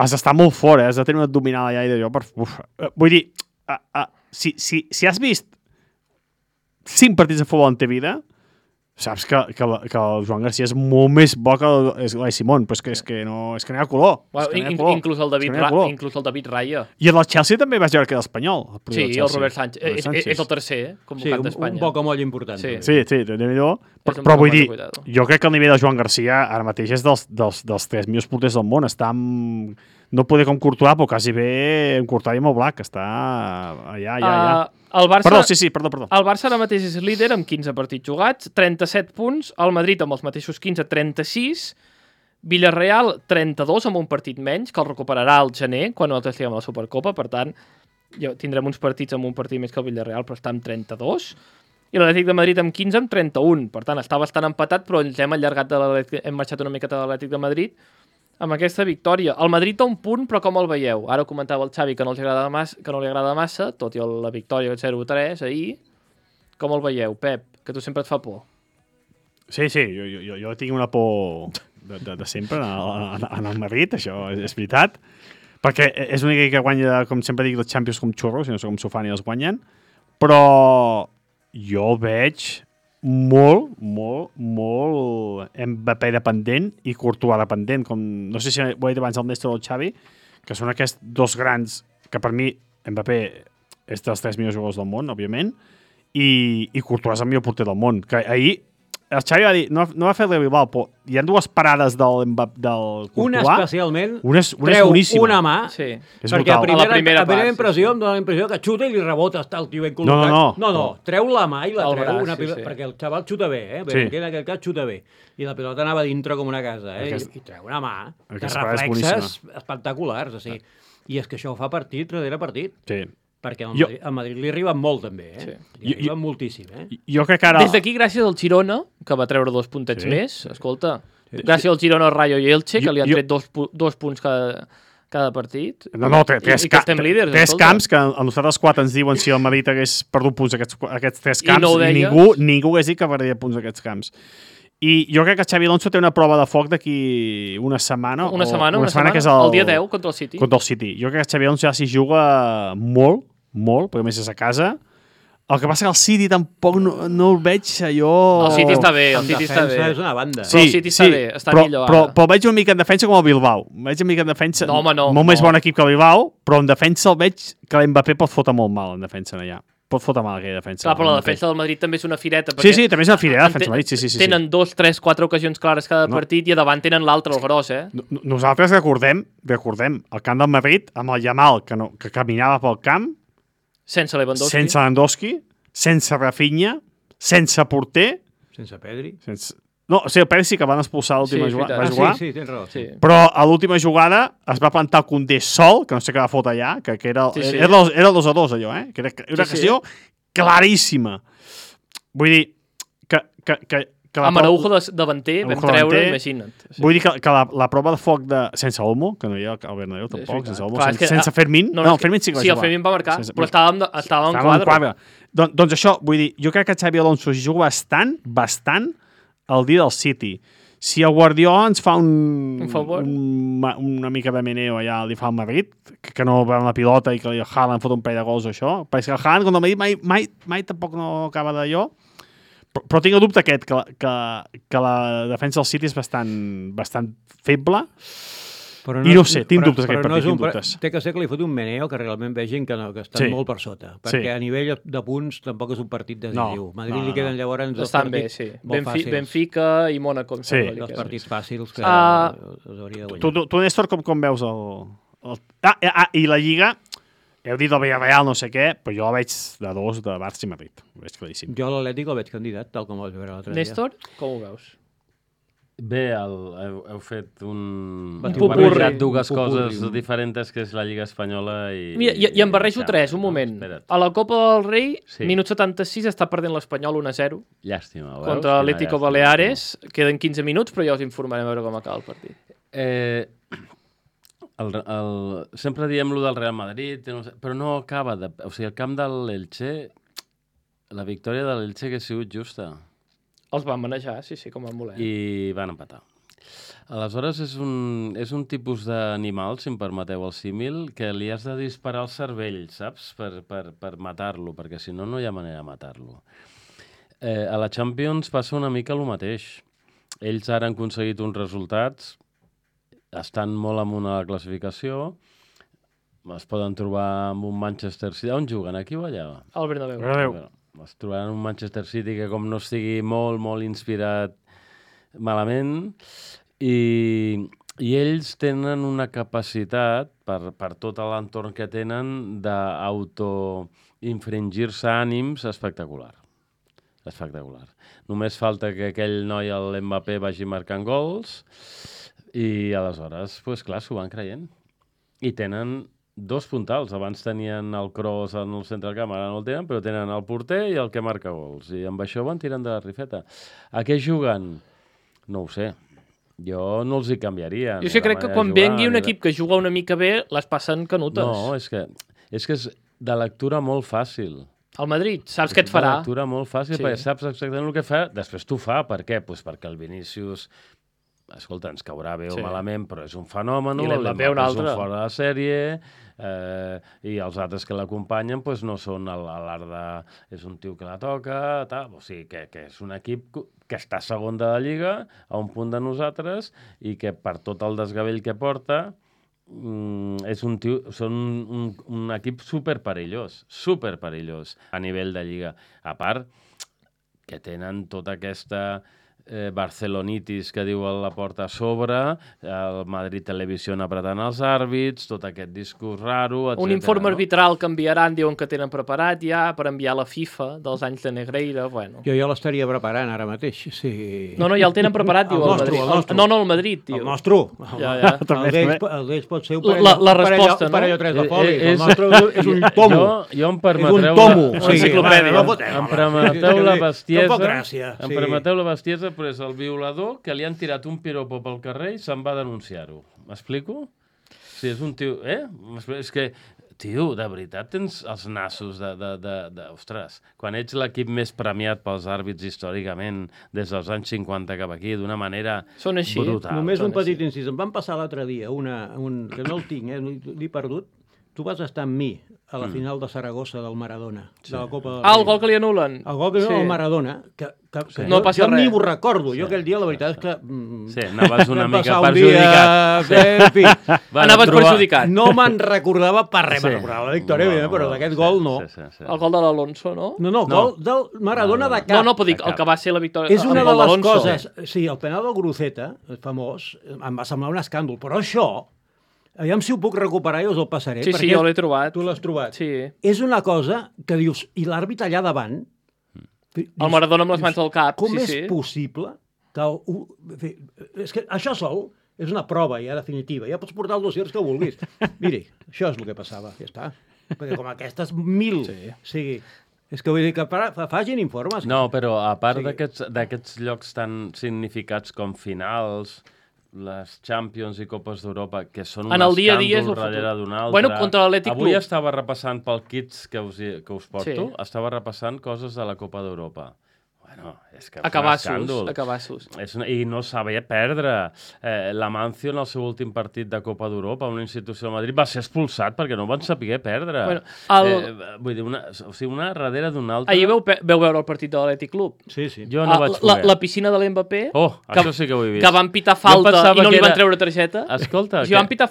Has d'estar molt fort, has de tenir un abdominal allà i d'allò. Vull dir, si has vist 5 partits de futbol en ta vida, saps que el Joan Garcia és molt més bo que l'Ai Simón, però és que no hi ha color. Inclús el David Raya. I el Chelsea també vaig veure que era espanyol. Sí, el Robert Sánchez. És el tercer convocat d'Espanya. Un bocamoll important. Sí, però vull dir, jo crec que el nivell de Joan Garcia ara mateix és dels 3 millors porters del món. Està amb... No poder com Courtois, però quasi bé en Courtois i molt Black. Està allà. Perdó. El Barça ara mateix és líder amb 15 partits jugats, 37 punts, el Madrid amb els mateixos 15, 36, Villarreal 32 amb un partit menys, que el recuperarà al gener, quan nosaltres estiguem a la Supercopa, per tant, tindrem uns partits amb un partit més que el Villarreal, però està amb 32, i l'Atlètic de Madrid amb 15 amb 31, per tant, està bastant empatat, però ens hem allargat hem marxat una miqueta de l'Atlètic de Madrid amb aquesta victòria. El Madrid té un punt, però com el veieu? Ara comentava el Xavi que no li agrada massa, tot i la victòria 0-3 ahir. Com el veieu, Pep? Que tu sempre et fa por. Sí, jo tinc una por de sempre en el Madrid, això és veritat, perquè és l'única que guanya, com sempre dic, els Champions com xurros, i no sé com s'ho fan i els guanyen, però jo veig molt Mbappé dependent i Courtois dependent, com no sé si ho he dit abans el Néstor o el Xavi, que són aquests dos grans que per mi Mbappé és dels 3 millors jugadors del món, òbviament, i Courtois és el millor porter del món, que ahir el Xavi va dir, no va fer el Bilbao, però hi ha 2 parades del Courtois. Una especialment, treu una mà, perquè a primera impressió em dóna la impressió que xuta i li rebota, està el tio ben col·locat. No, treu la mà i la treu, perquè el xaval xuta bé, en aquest cas xuta bé. I la pilota anava dintre com una casa, i treu una mà, de reflexes espectaculars. I és que això ho fa partit darrere partit. Sí. Perquè al Madrid li arriben molt, també, Li arriben moltíssim, Jo crec que ara... Des d'aquí, gràcies al Girona, que va treure 2 puntets més, escolta, gràcies al Girona, Rayo i Elche, que li han tret 2 punts cada partit. No, 3 camps, que a nosaltres 4 ens diuen si el Madrid hagués perdut punts aquests 3 camps, i ningú hagués dit que perdria punts aquests camps. I jo crec que Xavi Alonso té una prova de foc d'aquí una setmana. Una setmana, que és el dia 10 contra el City. Contra el City. Jo crec que Xavi Alonso ja s'hi juga molt, perquè a més és a casa. El que passa que el City tampoc no el veig allò... El City està bé, el defensa és una banda. Sí, el City està bé, està millor ara. Però veig una mica en defensa com el Bilbao. Veig una mica en defensa... Molt més bon equip que el Bilbao, però en defensa el veig que l'Mbappé pot fotre molt mal en defensa allà. pot fotre mal aquella defensa. Clar, però la defensa del Madrid també és una fireta. Sí, també és una fireta, la defensa del Madrid. Sí. Tenen 2, 3, 4 ocasions clares cada partit i a davant tenen l'altre, el gros, Nosaltres recordem el camp del Madrid amb el Yamal, que caminava pel camp sense Lewandowski. Sense Lewandowski, sense Rafinha, sense porter... Sense Pedri. No, o sigui, el Pedri sí que van expulsar l'última jugada. Sí, tens raó. Sí. Però a l'última jugada es va plantar el Koundé sol, que no sé què va fotre allà, que era el 2-2 allò, que era una ocasió claríssima. Vull dir que amb Araujo davanter vam treure, imagina't. Vull dir que la prova de foc sense Olmo, que no hi ha al Bernabéu tampoc, sense Olmo, sense Fermín... No, Fermín sí que va jugar. Sí, el Fermín va marcar, però estava en quadre. Doncs això, vull dir, jo crec que Xabi Alonso hi juga bastant el dia del City. Si el Guardiola ens fa una mica de meneo allà, li fa el Madrid, que no va amb la pilota i que el Haaland fot un parell de gols o això, perquè el Haaland, quan el Madrid mai tampoc no acaba d'allò, però tinc el dubte aquest, que la defensa del City és bastant feble, i no sé, tinc dubtes aquest partit, tinc dubtes. Té que ser que li fot un meneo que realment vegin que estan molt per sota, perquè a nivell de punts tampoc és un partit decisiu. Madrid li queden llavors dos partits molt fàcils. Benfica i Mónaco. Dos partits fàcils que els hauria de guanyar. Tu, Néstor, com veus i la Lliga? Heu dit el Villarreal no sé què, però jo la veig de 2 de Barça i Madrid. Ho veig claríssim. Jo l'Atlètic el veig candidat, tal com el veure l'altre dia. Néstor, com ho veus? Bé, heu fet un popurri. Dues coses diferents, que és la Lliga Espanyola i... I em barrejo 3, un moment. A la Copa del Rei, minut 76, està perdent l'Espanyol 1-0. Llàstima, veus? Contra l'Atlético Baleares. Queden 15 minuts, però ja us informarem a veure com acaba el partit. Sempre diem lo del Real Madrid, però no acaba de... O sigui, el camp de l'Elche, la victòria de l'Elche que ha sigut justa. Els van manejar, sí, com van voler. I van empatar. Aleshores, és un tipus d'animal, si em permeteu el símil, que li has de disparar al cervell, saps? Per matar-lo, perquè si no, no hi ha manera de matar-lo. A la Champions passa una mica el mateix. Ells ara han aconseguit uns resultats, estan molt amunt a la classificació, es poden trobar amb un Manchester City. On juguen, aquí o allà? Al Bernabéu. Es trobaran un Manchester City que com no estigui molt, molt inspirat malament i ells tenen una capacitat per tot l'entorn que tenen d'auto-infringir-se ànims espectacular. Només falta que aquell noi, l'Mbappé, vagi marcant gols i aleshores, doncs clar, s'ho van creient. I tenen 2 puntals. Abans tenien el Kroos en el centre del camp, ara no el tenen, però tenen el porter i el que marca gols. I amb això van tirant de la rifeta. A què juguen? No ho sé. Jo no els hi canviaria. Jo sí crec que quan vengui un equip que juga una mica bé, les passen canutes. No, és que és de lectura molt fàcil. El Madrid, saps què et farà? És de lectura molt fàcil, perquè saps exactament el que fa. Després t'ho fa. Per què? Doncs perquè el Vinícius... Escolta, ens caurà bé o malament, però és un fenomen, l'Mbappé és un fora de sèrie, i els altres que l'acompanyen no són l'art de... És un tio que la toca, o sigui, que és un equip que està segon de la Lliga, a un punt de nosaltres, i que per tot el desgavell que porta, són un equip superperillós a nivell de Lliga. A part, que tenen tota aquesta... barcelonitis que diu a la porta a sobre, el Madrid Televisió apretant els àrbits, tot aquest discurs raro, etc. Un informe arbitral que enviaran, diuen que tenen preparat ja per enviar a la FIFA dels anys de Negreira, bueno. Jo l'estaria preparant ara mateix, sí. No, ja el tenen preparat, diu el Madrid. No, el Madrid, tio. El nostre. Ja. El d'ells pot ser la resposta, no? Un parell o 3 de folis. El nostre és un tomo. Jo em permetreu... És un tomo. Em permeteu la bestiesa. Tampoc gràcia. Em permeteu la bestiesa, però és el violador que li han tirat un piropo pel carrer i se'n va denunciar-ho. M'explico? Si és un tio... És que, tio, de veritat tens els nassos ostres, quan ets l'equip més premiat pels àrbits històricament des dels anys 50 cap aquí, d'una manera brutal. Només un petit incís. Em van passar l'altre dia que no el tinc, l'he perdut. tu vas estar amb mi a la final de Saragossa del Maradona, de la Copa del El gol que li anulen. El gol que li anulen al Maradona, que No passa jo res. ni ho recordo. Jo aquell dia, la veritat és que... Sí, anaves una vam mica passar un perjudicat. dia, en fi, Anaves perjudicat. no me'n recordava per res. Sí. Me'n recordava la victòria, evidentment, però d'aquest gol no. Sí. El gol de l'Alonso, no? No, gol del Maradona de cap. No, puc dir, el que va ser la victòria... És una el de les d'Alonso. coses... Sí, el penal del Gruceta, famós, em va semblar un escàndol, però això, aviam si ho puc recuperar i us el passaré. Sí, perquè jo l'he trobat. Tu l'has trobat. Sí. És una cosa que dius, i l'àrbit allà davant... El Maradona amb les mans al cap. Com sí, és sí. possible que... És que això sol és una prova ja definitiva. Ja pots portar els dossiers que vulguis. Miri, això és el que passava, ja està. Perquè com aquestes 1.000... Sí. O sigui, és que vull dir que facin informes. No, però a part Sí. d'aquests llocs tan significats com finals, les Champions i Copes d'Europa, que són un En el dia a dia és escàndol el darrere futur. d'un altre. Bueno, contra l'Atlètic Avui Club. estava repassant pel kits que us porto, Sí. estava repassant coses de la Copa d'Europa. Bueno, és que Acabassos. I no sabia perdre. L'Amancio, en el seu últim partit de Copa d'Europa, una institució de Madrid, va ser expulsat perquè no van saber perdre. Bueno, vull dir, una darrere d'una altra... Ahir veu veure el partit de l'Atlètic Club. Sí, sí. Jo no vaig poder. La piscina de l'Mbappé, això sí que ho he vist. que van pitar falta pensava i no que li van era- treure targeta. Escolta, O sigui, van pitar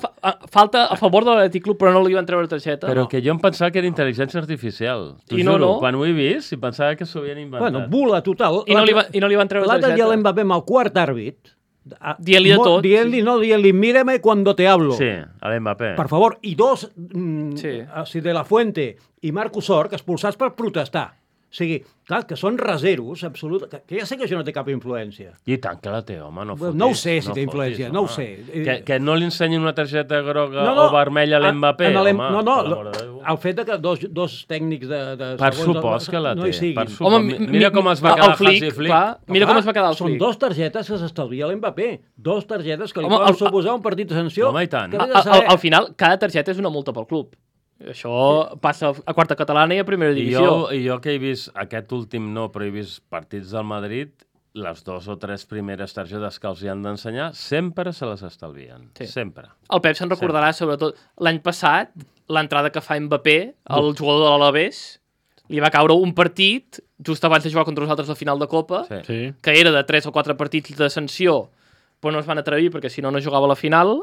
falta a favor de l'Atlètic Club, però no li van treure targeta. Però que jo em pensava que era intel·ligència artificial. T'ho I no, juro, no. quan ho he vist, em pensava que s'ho havien inventat. Bueno, bula total. I no li van treure L'altre dia targeta. l'Mbappé amb el quart àrbit. Dient-li de tot. Dient-li, mírame cuando te hablo. Sí, a l'Mbappé. Per favor, i dos, Sí. De la Fuente i Marcus Sort, expulsats per protestar. O sigui, clar, que són reseros, absolut, que ja sé que això no té cap influència. I tant que la té, home, no fotis. No ho sé si té fotis, influència, home. no ho sé. Que no li ensenyin una targeta groga o vermella a l'Mbappé, home. No, per l'amor de Déu. el fet de que dos tècnics de Per segons supòs que la té. no hi siguin. Per supòs. Home, Mira com es va el quedar Flick, Hansi Flick. clar, mira com es va quedar el Són Flick. dos targetes que s'estalvia l'Mbappé. Dos targetes que li Home, poden el- suposar un partit de sanció. Home, i tant. que has de saber. Al final, cada targeta és una multa pel club. Això passa a quarta catalana i a primera divisió. I jo que he vist, aquest últim no, però he vist partits del Madrid, les 2 o 3 primeres targetes que els hi han d'ensenyar, sempre se les estalvien. Sí. Sempre. El Pep se'n recordarà, sobretot, l'any passat, l'entrada que fa Mbappé, el jugador de l'Alavés, li va caure un partit, just abans de jugar contra nosaltres la final de Copa, Sí. Sí. que era de 3 o 4 partits de sanció, però no es van atrevir perquè si no, no jugava a la final.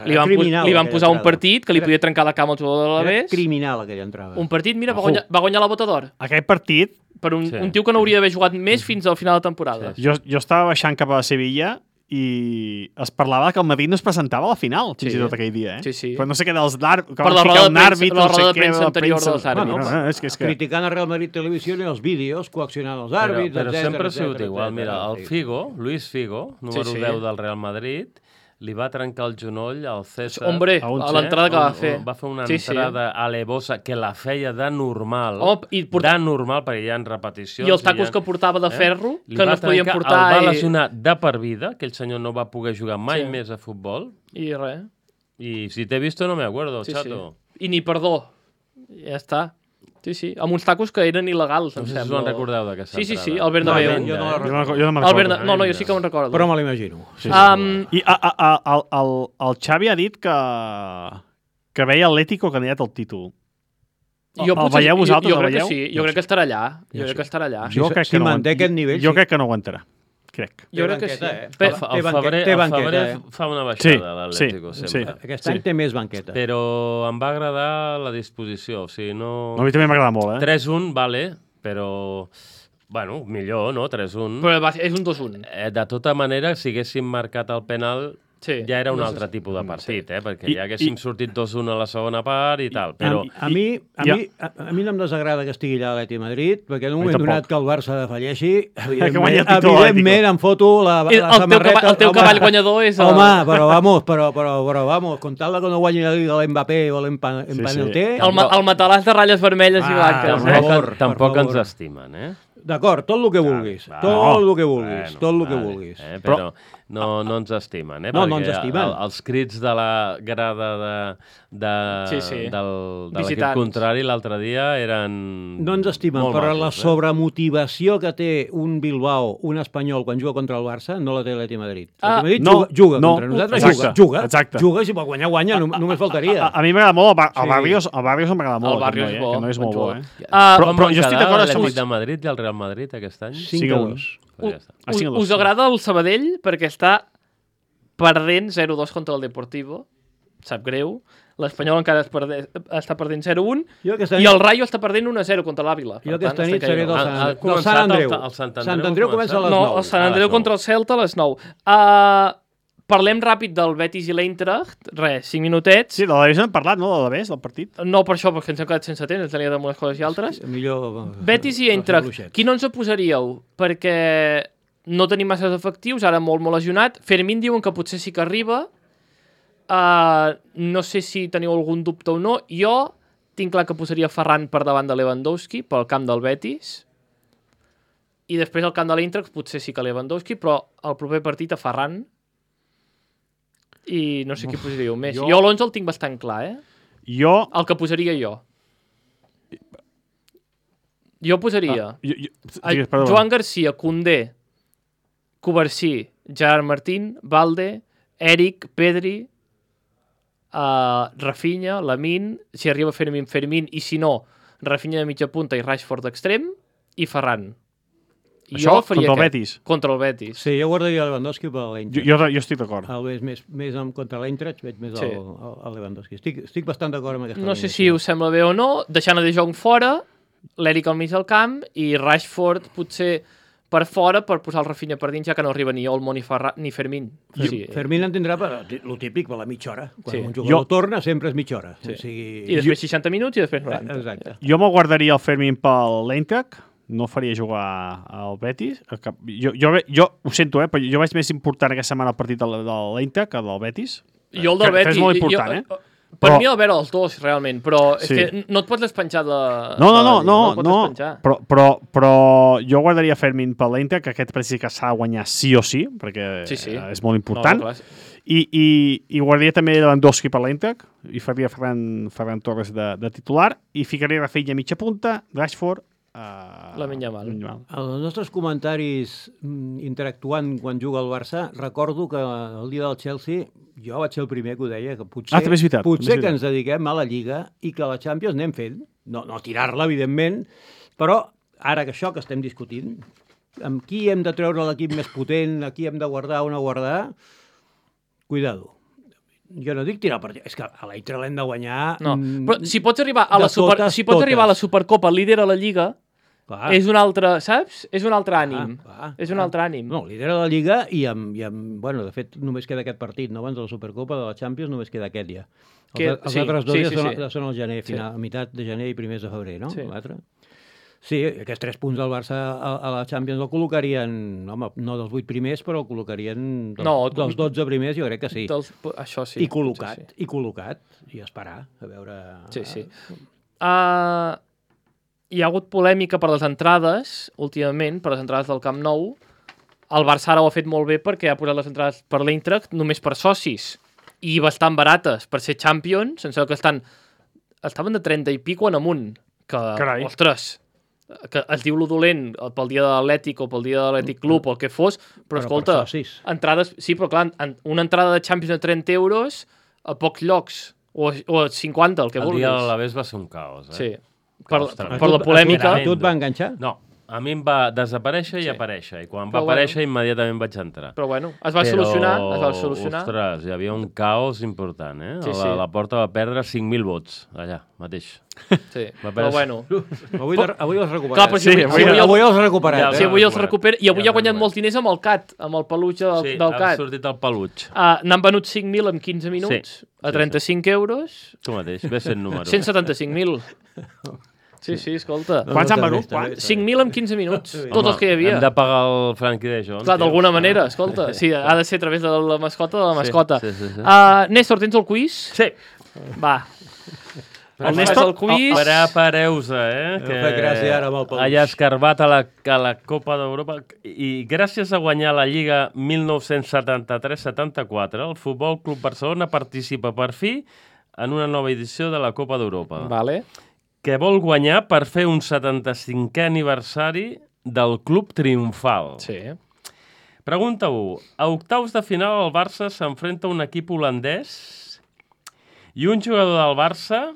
Li van Criminal, posar un aquella partit que li podia trencar la cama al jugador de Era l'Alavés. criminal, aquella entrada. Un partit, mira, va guanyar la bota d'or. Aquell partit, Per un, Sí. un tio que no hauria d'haver jugat més fins al final de temporada. Sí. jo estava baixant cap a Sevilla i es parlava que el Madrid no es presentava a la final, fins Sí. i tot aquell dia, Sí, sí. Però no sé què dels d'àrbit, Per la roda de premsa- la roda de premsa anterior dels àrbits. Bueno, és que... criticant a Real Madrid Televisió i els vídeos, coaccionant els àrbits, Però etcètera, sempre ha sigut etcètera, igual. Mira, etcètera. el Figo, Luis Figo, número Sí, sí. 10 del Real Madrid, li va trencar el genoll al César. Hombre, a un a l'entrada que va fer. Va fer una Sí, sí. entrada alevosa que la feia de normal. Home, i De normal, perquè hi ha repeticions. I els tacos que portava de ferro, Li que no va es podien trencar, portar. El va lesionar de per vida, aquell senyor no va poder jugar mai Sí. més a futbol. I res. I si t'he visto no me acuerdo, Sí, chato. sí. I ni perdó. Ja està. Sí, sí. Amb uns tacos que eren il·legals, No em sé si us sembla. en recordeu d'aquesta Sí, sí, entrada. sí, el Bernabéu. Tremenda, Jo no la eh? recordo. Jo no me'n El recordo. No, jo sí que me'n recordo. Però me l'imagino. I el Xavi ha dit que veia Atlético candidat al títol. Jo el veieu vosaltres, jo el crec que veieu? sí, jo crec que estarà allà. Jo crec que estarà allà. Jo crec que no manté aquest nivell, Jo sí. crec que no aguantarà. Crec. Jo crec que sí. banqueta, Pe- El Febrer, té banqueta, fa una Sí, baixada, l'Atlético, sí, sempre. Aquest any té més banqueta. Però em va agradar la disposició, o sigui, no... A mi també m'agrada molt, 3-1, vale, però... Bueno, millor, no? 3-1. Però és un 2-1. De tota manera, si haguéssim marcat el penal, Sí. ja era un No sé altre si- tipus de partit, perquè I- ja haguéssim sortit 2-1 a la segona part i tal, però... A mi no em desagrada que estigui allà a l'Atlètic Madrid, perquè en un moment tampoc. donat que el Barça defalleixi, guanya el títol evidentment em foto la samarreta... El teu cavall guanyador és... Home, però vamos, con tal de que no guanyi la Liga l'Mbappé o l'Empanelté... El matalàs de ratlles vermelles i blanques. per favor, Tampoc per ens favor. estimen, eh? D'acord, tot el que vulguis, tot el que vulguis, tot el que vulguis. Però no ens estimen, No ens estimen. Els crits de la grada de l'equip Visitants. contrari l'altre dia eren No ens estimen, molt però majos, la sobremotivació que té un Bilbao, un espanyol, quan juga contra el Barça, no la té l'Atlètic Madrid. L'Atlètic Madrid juga contra nosaltres, juga, i si pot guanyar, guanya, només faltaria. A mi m'agrada molt el Barrios m'agrada molt. El Barrios és bo. Que no és molt bo, eh? Però jo estic d'acord amb l'Atlètic de Madrid i el Real Madrid aquest any? 5-2. Us agrada el Sabadell perquè està perdent 0-2 contra el Deportivo, sap greu, l'Espanyol encara està perdent 0-1 i el Rayo està perdent 1-0 contra l'Àvila. Jo aquesta nit seré del Sant Andreu. El Sant Andreu comença a les 9. No, el Sant Andreu contra el Celta a les 9. Parlem ràpid del Betis i l'Eintracht. 5 minutets. Sí, de l'Alavés hem parlat, no? De l'Alavés, del partit. No per això, perquè ens hem quedat sense temps, ens tenia de unes coses i altres. Betis i Eintracht. Qui no ens oposaríeu? Perquè no tenim massa efectius, ara molt lesionat. Fermín diuen que potser sí que arriba. No sé si teniu algun dubte o no. Jo tinc clar que posaria Ferran per davant de Lewandowski, pel camp del Betis. I després al camp de l'Eintracht potser sí que Lewandowski, però el proper partit a Ferran. I no sé qui posaríeu més. Jo l'11 el tinc bastant clar, eh? El que posaria jo. Jo posaria Joan Garcia, Koundé, Covarsí, Gerard Martín, Valde, Eric, Pedri, Rafinha, Lamine, si arriba Fermín, i si no, Rafinha de mitja punta i Rashford d'extrem, i Ferran. Això contra el Betis? Contra el Betis. Sí, jo guardaria Lewandowski per l'Eintracht. Jo estic d'acord. El veig més contra l'Eintracht, veig més el Lewandowski. Estic bastant d'acord amb aquesta No sé si us sembla bé o no, deixant a De Jong fora, l'Eric al mig del camp i Rashford potser per fora per posar el Rafinha per dins, ja que no arriba ni Olmo ni Fermín. Fermín entendrà el típic per la mitja hora. Quan un jugador torna sempre és mitja hora. I després 60 minuts i després 90. Exacte. Jo me'l guardaria el Fermín per l'Eintracht, no faria jugar al Betis. Jo ho sento, però jo veig més important aquesta setmana el partit de l'Eintracht que del Betis. Jo el del Betis... És molt important, Per mi el veure els dos, realment, però és que no et pots despenjar de... No, però jo guardaria Fermín per l'Eintracht, que aquest partit que s'ha de guanyar sí o sí, perquè és molt important. I guardaria també Lewandowski per l'Eintracht, i faria Ferran Torres de titular, i ficaria Rafinha a mitja punta, Rashford, Lamine Yamal. Els nostres comentaris interactuant quan juga el Barça, recordo que el dia del Chelsea jo vaig ser el primer que ho deia, que potser que ens dediquem a la Lliga i que la Champions anem fent, no tirar-la, evidentment, però ara que això que estem discutint, amb qui hem de treure l'equip més potent, a qui hem de guardar o no guardar, cuidado. Jo no dic tirar el partit, és que a l'Eintracht l'hem de guanyar... No, però si pots arribar a la Supercopa líder a la Lliga, és un altre, saps? És un altre ànim. És un altre ànim. No, líder a la Lliga i bueno, de fet, només queda aquest partit, no? Abans de la Supercopa, de la Champions, només queda aquest ja. Els altres dos ja són al gener, a meitat de gener i primers de febrer, no? L'altre. Sí, aquests 3 punts del Barça a la Champions el col·locarien, home, no dels 8 primers, però el col·locarien dels 12 primers, jo crec que sí. Això sí. I col·locat, i esperar, a veure... Sí. Hi ha hagut polèmica per les entrades, últimament, per les entrades del Camp Nou. El Barça ara ho ha fet molt bé perquè ha posat les entrades per l'Eintracht només per socis i bastant barates per ser Champions, sense que estaven de 30 i pico en amunt. Carai. Ostres, que es diu lo dolent pel dia de l'Atlètic o pel dia de l'Atlètic Club o el que fos, però escolta, entrades... Sí, però clar, una entrada de Champions de 30 euros a pocs llocs, o a 50, el que vulguis. El dia de l'Alavés va ser un caos, Sí. Per la polèmica... Tu et va enganxar? No, a mi em va desaparèixer i aparèixer, i quan va aparèixer immediatament vaig entrar. Però bueno, es va solucionar. Ostres, hi havia un caos important, eh? La Porta va perdre 5.000 vots, allà, mateix. Sí, però bueno. Avui els recuperat. Clar, però si avui els recuperat. Sí, avui els recupera, i avui ha guanyat molts diners amb el CAT, amb el peluig del CAT. Sí, ha sortit el peluig. N'han venut 5.000 en 15 minuts, a 35 euros. Tu mateix, ves sent número. 175.000. Sí, escolta. Quants han venut? 5.000 en 15 minuts, tots els que hi havia. Hem de pagar el Frankie de Jong. Clar, d'alguna manera, escolta. Sí, ha de ser a través de la mascota. Sí. Néstor, tens el quiz? Sí. Va. El Néstor... el quiz. Prepareu-se, M'ha fet gràcia ara amb el peluix. Allà escarbat a la Copa d'Europa. I gràcies a guanyar la Lliga 1973-74, el Futbol Club Barcelona participa per fi en una nova edició de la Copa d'Europa, Vale. que vol guanyar per fer un 75è aniversari del Club Triomfal. Sí. Pregunta 1. A octaus de final el Barça s'enfrenta a un equip holandès i un jugador del Barça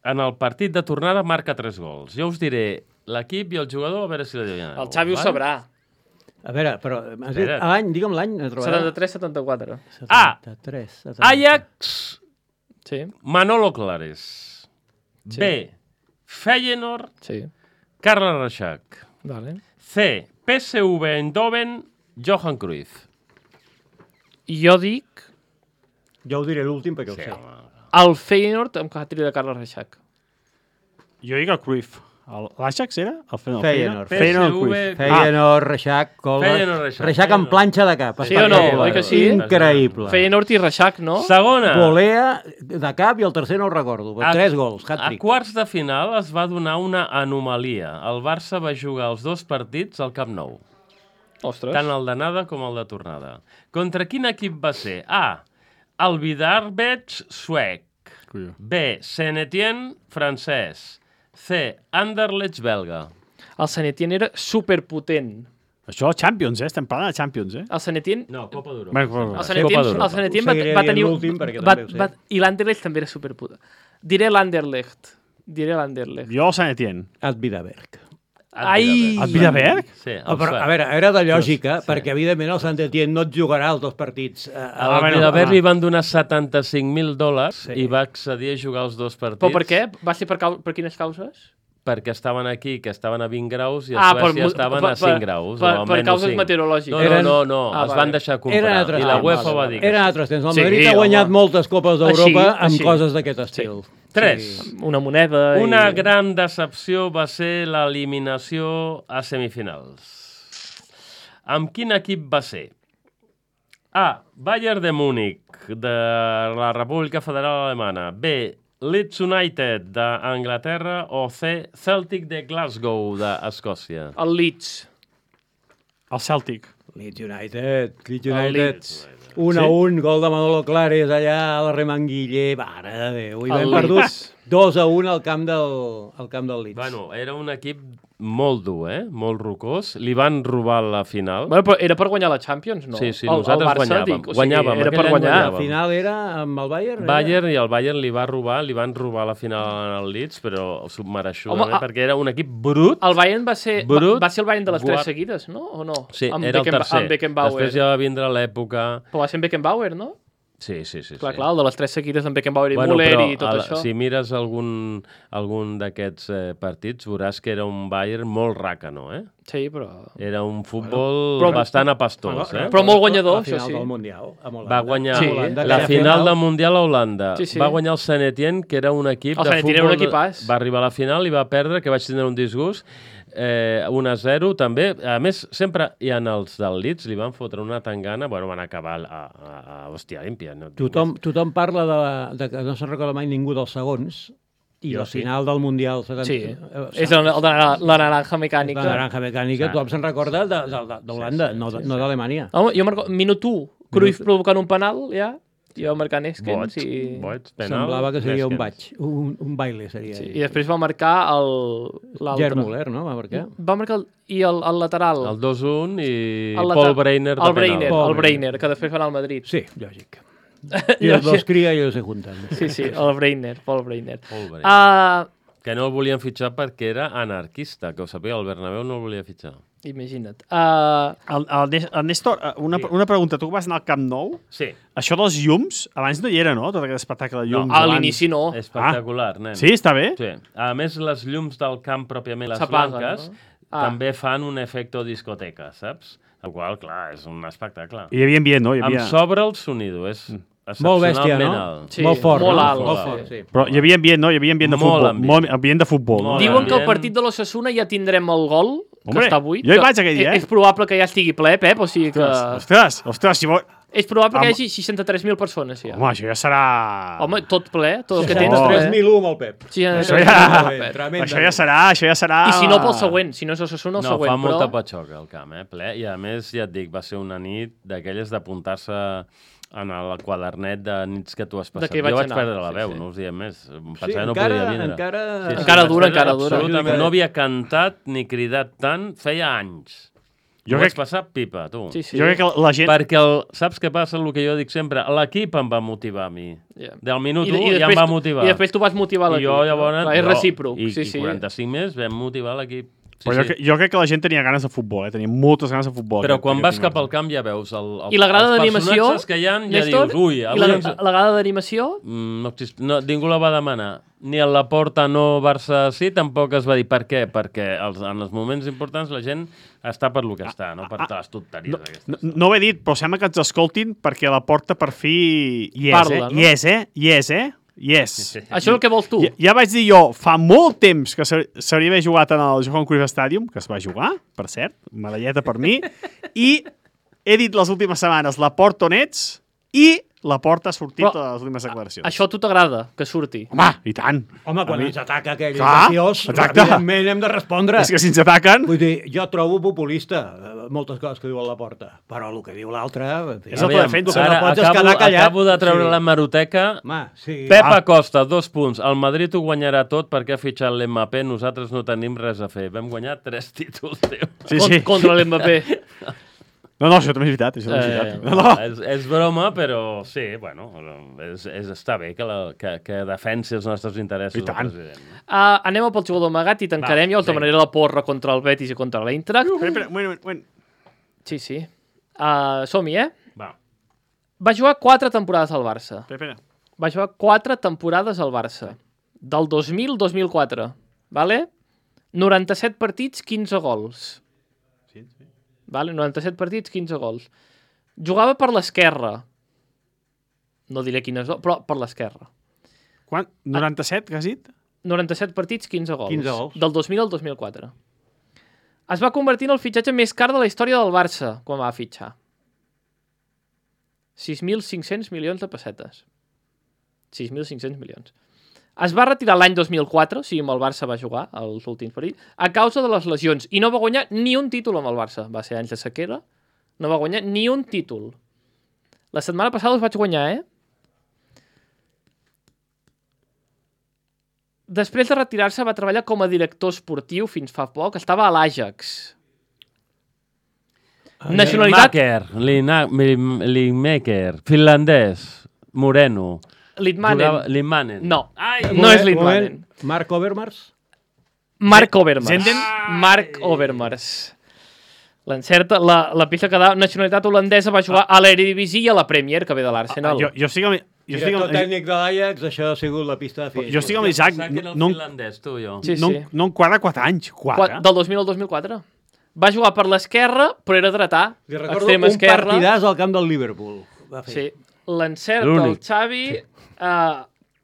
en el partit de tornada marca 3 gols. Jo us diré l'equip i el jugador, a veure si la adivineu. El Xavi ho sabrà. A veure, però has dit Espera't. l'any, digue'm l'any. 73-74. A. 73. Ajax, Sí, Manolo Clares. Sí. B. Feyenoord, sí. Carles Reixac. Vale. C. PSV Eindhoven, Johan Cruyff. Jo dic Jo ho diré l'últim perquè ho sé. el Feyenoord amb Catri de Carles Reixac. Jo dic el Cruyff. L'Ajax era? El Feyenoord. Feyenoord PSV. Cruyff. Feyenoord, Reixac, Feyenoord, Reixac. Reixac amb planxa de cap. Sí o no? Oi que sí? Increïble. Feyenoord i Reixac, no? Segona. Volea de cap i el tercer no ho recordo. A- 3 gols, A hat-trick. quarts de final es va donar una anomalia. El Barça va jugar els 2 partits al Camp Nou, Ostres. tant el d'anada com el de tornada. Contra quin equip va ser? A. El Vidarbech suec. Colló. B. Saint-Étienne francès. C. Anderlecht belga. El Sant Etienne era superpotent. Això, Champions, estem parlant de Champions, El Sant Etienne... No, Copa d'Europa. Bueno, bueno, El bueno. Sant Copa Etienne, d'Europa. el Sant Etienne Ho seguiré va dient tenir... l'últim perquè també ho sé. I l'Anderlecht també era superpotent. Diré l'Anderlecht. Diré l'Anderlecht. Jo el Sant Etienne. Ad Vidaberg. Ai! El Vidaberg? Sí, el Però, suec. a veure, era de lògica, perquè evidentment el Sant-Etienne no et jugarà els 2 partits. Al bueno, Vidaberg li van donar $75.000 i va accedir a jugar els 2 partits. Però per què? Va ser per quines causes? Perquè estaven aquí, que estaven a 20 graus, i a Ah, Suècia per- estaven per- a 5 graus. per- o per menys causes 5. meteorològiques. No, Ah, es vale. van deixar comprar. Eren altres I la temps. UEFA va dir que Eren sí. altres temps. El Sí, Madrid ha home. guanyat moltes Copes d'Europa amb Així. coses d'aquest estil. 3. Una moneda... Una i... gran decepció va ser l'eliminació a semifinals. Amb quin equip va ser? A. Bayern de Múnich, de la República Federal Alemana. B. Leeds United, d'Anglaterra. O C. Celtic de Glasgow, d'Escòcia. El Leeds. El Celtic. Leeds United. Leeds El United. Leeds. 1-1, gol de Manolo Clares allà a la Remanguiller. Mare de Déu. I El vam perdut Leeds. 2-1 al camp del Leeds. Bueno, era un equip molt dur, molt rocós. Li van robar la final. Bueno, però era per guanyar la Champions, no? Sí, sí, El nosaltres Barça, guanyàvem. Dic, o sigui, Guanyàvem, era aquell per any guanyar. guanyàvem. Al final era amb el Bayern? Bayern, i el Bayern li van robar la final al Leeds, però submereixudament, Home, perquè era un equip brut. El Bayern va ser el Bayern de les 3 guap. seguides, no? O no? Sí, Amb era el tercer. Amb Beckenbauer. Després ja va vindre l'època... Però va ser amb Beckenbauer, no? Sí. Clar, el de les 3 seguides amb Beckenbauer i Bueno, Müller però i tot això. si mires algun d'aquests partits, veuràs que era un Bayern molt ràcano, Sí, però... Era un futbol Però- bastant apastós, Però molt guanyador, La final això sí. del Mundial, amb Holanda. Va guanyar Sí. la final del Mundial a Holanda. Sí, sí. Va guanyar el Sant Etienne, que era un equip El de Sant Etienne futbol... era un equipàs. Va arribar a la final i va perdre, que vaig tindre un disgust. 1-0 també. A més, sempre hi ha els del Leeds, li van fotre una tangana, bueno, van acabar a hòstia límpia. No? Tothom parla de que no se'n recorda mai ningú dels segons, i Jo al sí. final del Mundial... Sí, és el de la naranja mecànica. La naranja mecànica, tothom se'n recorda d'Holanda, no d'Alemanya. Home, jo marco minut 1, Cruyff provocant un penal, ja, i va marcar Neskens Boig, penal. Semblava que seria Neskens. un baile, seria. Sí, i després va marcar l'altre. Gerd Müller, no? Va marcar? Va marcar el lateral. El 2-1 i El Paul Breiner de penal. El Breiner, que després va anar al Madrid. Sí, lògic. I els dos cria i els se junten. Sí, el Breiner, Paul Breiner. Paul Breiner. Que no el volien fitxar perquè era anarquista, que ho sabia, el Bernabéu no el volia fitxar. Imagina't. El Néstor, una pregunta. Tu que vas anar al Camp Nou, Sí. això dels llums, abans no hi era, no? Tot aquest espectacle de llums. A abans. l'inici no. Espectacular, nen. Sí, està bé? Sí. A més, les llums del camp pròpiament, les S'apaguen, blanques, no? també fan un efecte discoteca, saps? El qual, clar, és un espectacle. I hi havia ambient, no? Hi havia... Em sobra el sonido, és Molt bèstia, excepcionalment no? alt. Sí, molt fort, molt no? alt, Molt sí. fort, sí. Però hi havia ambient, no? Hi havia ambient de Molt futbol. ambient. Molt ambient de futbol, no? Molt Diuen que el ambient. partit de l'Ossassuna ja tindrem el gol Hombre, està buit. jo hi vaig aquell dia, És probable que ja estigui ple, Pep, o sigui que... Ostres, si vol... És probable que hi hagi 63.000 persones, ja. Home, això ja serà... Home, tot ple, tot el que tens... 63.001 amb el Pep. Això ja serà... I si no pel següent, si no és Osasuna, el següent. No, fa molta patxoca el camp, ple. I a més, ja et dic, va ser una nit d'aquelles d'apuntar-se en el quadernet de nits que tu has passat. Jo vaig perdre la veu, no us diem més. Pensava que no podia vindre. Encara dura. Absolutament. No havia cantat ni cridat tant feia anys. Jo vaig passar pipa, tu. Sí. Jo crec que la gent... Perquè, saps què passa? El que jo dic sempre, l'equip em va motivar a mi. Del minut 1 ja em va motivar. I després tu vas motivar l'equip. I jo llavors... És recíproc. I 45 més vam motivar l'equip. Però jo crec que la gent tenia ganes de futbol, tenia moltes ganes de futbol. Però quan vas cap al camp ja veus I la grada d'animació, personatges que hi ha, ja dius, ui... La grada d'animació? No, ningú la va demanar. Ni a la Porta no, Barça sí, tampoc es va dir. Per què? Perquè en els moments importants la gent està per lo que està, no per les tonteries aquestes. No ho he dit, però sembla que ens escoltin perquè la Porta per fi hi és, parla, no? Hi és. Això és el que vols tu. Ja vaig dir jo, fa molt temps que s'hauria d'haver jugat en el Johan Cruyff Stadium, que es va jugar, per cert, medalleta per mi, i he dit les últimes setmanes la Porta on ets i la Porta ha sortit a les últimes declaracions. Això a tu t'agrada, que surti? Home, i tant. Home, quan ens ataca aquell graciós, evidentment hem de respondre. És que si ens ataquen... Vull dir, jo trobo populista moltes coses que diu a la Porta, però el que diu l'altre... És el que defensa. No pots quedar callat. Acabo de treure la hemeroteca. Pep Acosta, 2 punts. El Madrid ho guanyarà tot perquè ha fitxat l'Mbappé. Nosaltres no tenim res a fer. Vam guanyar 3 títols, tio. Sí. Contra l'Mbappé. No, això també és veritat. És broma, però sí, bueno, està bé que defensi els nostres interessos. I tant. Anem pel jugador amagat i tancarem. Jo el demanaré la porra contra el Betis i contra l'Eintracht. Espera, un moment. Sí. Som-hi, Va. Va jugar 4 temporades al Barça. Espera. Va jugar 4 temporades al Barça. Del 2000 al 2004. Vale? 97 partits, 15 gols. Vale? 97 partits, 15 gols. Jugava per l'esquerra. No diré quines, però per l'esquerra. Quan? 97, que has dit? 97 partits, 15 gols. 15 gols. Del 2000 al 2004. Es va convertir en el fitxatge més car de la història del Barça quan va fitxar. 6.500 milions de pessetes. 6.500 milions. Es va retirar l'any 2004, o sigui, amb el Barça va jugar els últims partits, a causa de les lesions, i no va guanyar ni un títol amb el Barça. Va ser anys de sequera, no va guanyar ni un títol. La setmana passada els vaig guanyar, Després de retirar-se va treballar com a director esportiu fins fa poc, estava a l'Ajax. Nacionalitat... Lineker, finlandès, moreno... Lidmanen. No, Ai, no és Lidmanen. Marc Overmars? Marc Overmars. Zenden? Marc Overmars. L'encerta, la pista que da nacionalitat holandesa va jugar a l'Eredivisie i a la Premier, que ve de l'Arsenal. Jo estic amb... Director tècnic de l'Ajax, això ha sigut la pista de fi. Jo estic amb l'Isaac. No em quadra 4 anys. 4? Del 2000 al 2004. Va jugar per l'esquerra, però era dretà. Li recordo un partidàs al camp del Liverpool. Sí, l'encerta el Xavi...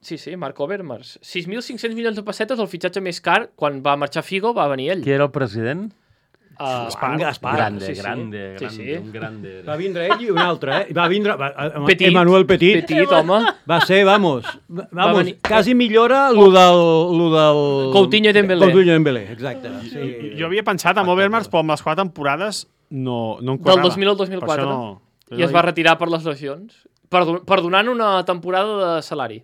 Sí, Marc Overmars. 6.500 milions de pessetes, el fitxatge més car. Quan va marxar Figo, va venir ell. Qui era el president? Gaspar. Grande. Un grande. Va vindre ell i un altre, Va vindre... Petit. Emmanuel Petit, home. Va ser, vamos, quasi millora lo del... Coutinho i Dembélé. Exacte. Sí. Jo havia pensat en Overmars, però amb les 4 temporades no em Del quadrava. 2000 al 2004. I es va retirar per les lesions. Perdonant una temporada de salari.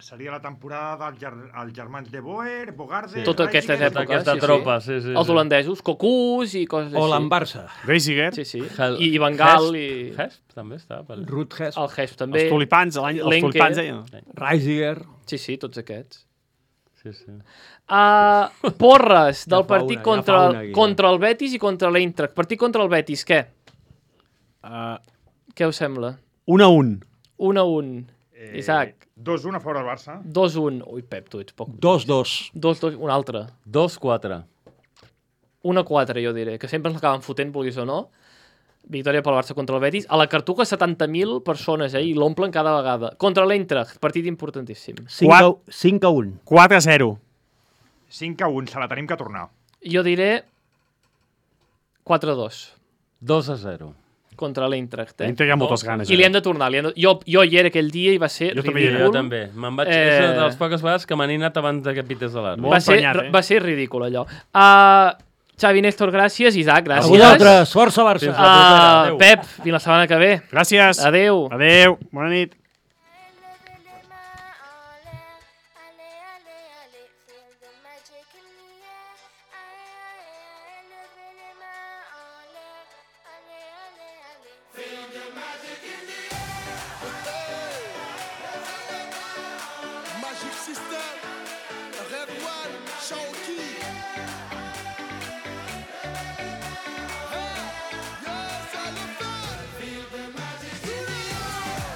Seria la temporada dels germans de Boer, Bogarde... Tota aquesta època, aquesta tropa, sí. Els holandesos, Cocús i coses així. O l'Ambarça. Reisiger. Sí. I Van Gaal i... Hesp també està. Ruud Hesp. El Hesp també. Els tulipans, els tulipans. Reisiger. Sí, tots aquests. Sí. Porres del partit contra el Betis i contra l'Eintracht. Partit contra el Betis, què? Què us sembla? 1-1. 1-1. Isaac. 2-1 a fora del Barça. 2-1. Ui, Pep, tu ets poc. 2-2. 2-2, un altre. 2-4. 1-4, jo diré, que sempre ens l'acaben fotent, vulguis o no. Victòria pel Barça contra el Betis. A la Cartuja, 70.000 persones, i l'omplen cada vegada. Contra l'Eintracht, partit importantíssim. 5-1. 4-0. 5-1, se la tenim que tornar. Jo diré 4-2 2-0. contra l'Eintracht. L'Inter hi ha moltes ganes. I li hem de tornar. Jo hi era aquell dia i va ser Jo també hi era. ridícul. Jo també. Me'n vaig... És una de les poques vegades que m'han anat abans de que pités a l'àrbitre. Molt emprenyat, Va ser ridícul, allò. Xavi, Néstor, gràcies. Isaac, A gràcies. vosaltres, força Barça. Adéu. Pep, fins la setmana que ve. Gràcies. Adéu. Adéu. Bona nit. Magic System, Red One, Shaoki. Hey, yes, I love that. Feel the magic.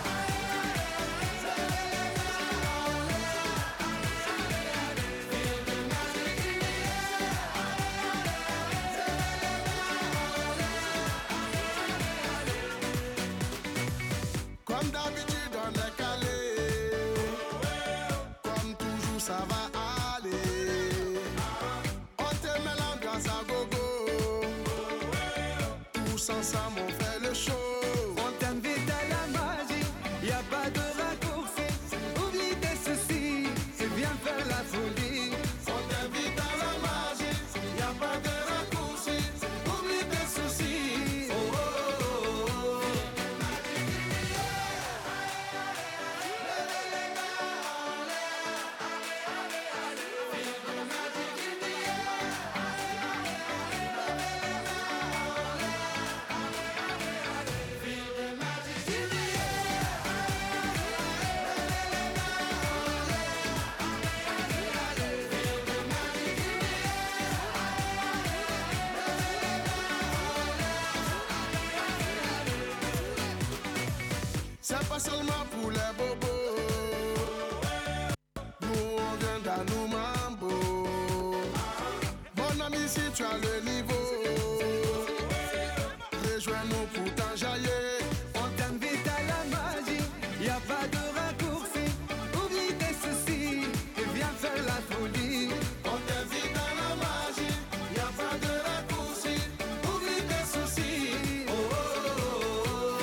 Comme d'habitude, on est calé. Comme toujours, ça va aller. On te met l'ambiance à gogo. Tous ensemble, on fait le show. On t'invite à la magie. Y a pas de raccourci. Oublie tes soucis. C'est bien faire la folie. On t'invite à la magie. Y a pas de raccourci. Oublie tes soucis. Oh, oh, oh, oh. C'est pas seulement pour les bobos. Nous on vient dans nos mambo. Mon ami, si tu as le niveau, rejoins-nous pour t'enjailler. On t'invite à la magie. Y a pas de raccourci. Oublie tes soucis et viens faire la folie. On t'invite à la magie. Y a pas de raccourci. Oublie tes soucis. Oh, oh, oh, oh.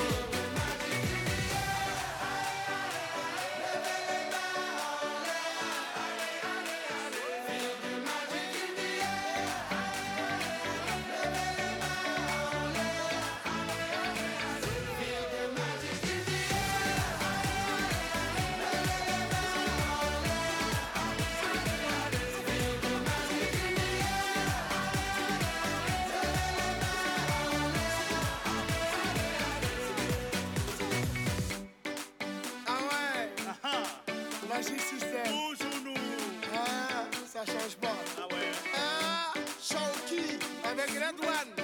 Ah ouais, Magic System. Toujours nous. Ah, ça change pas. Ah ouais. Ah, Shaoki avec Red One.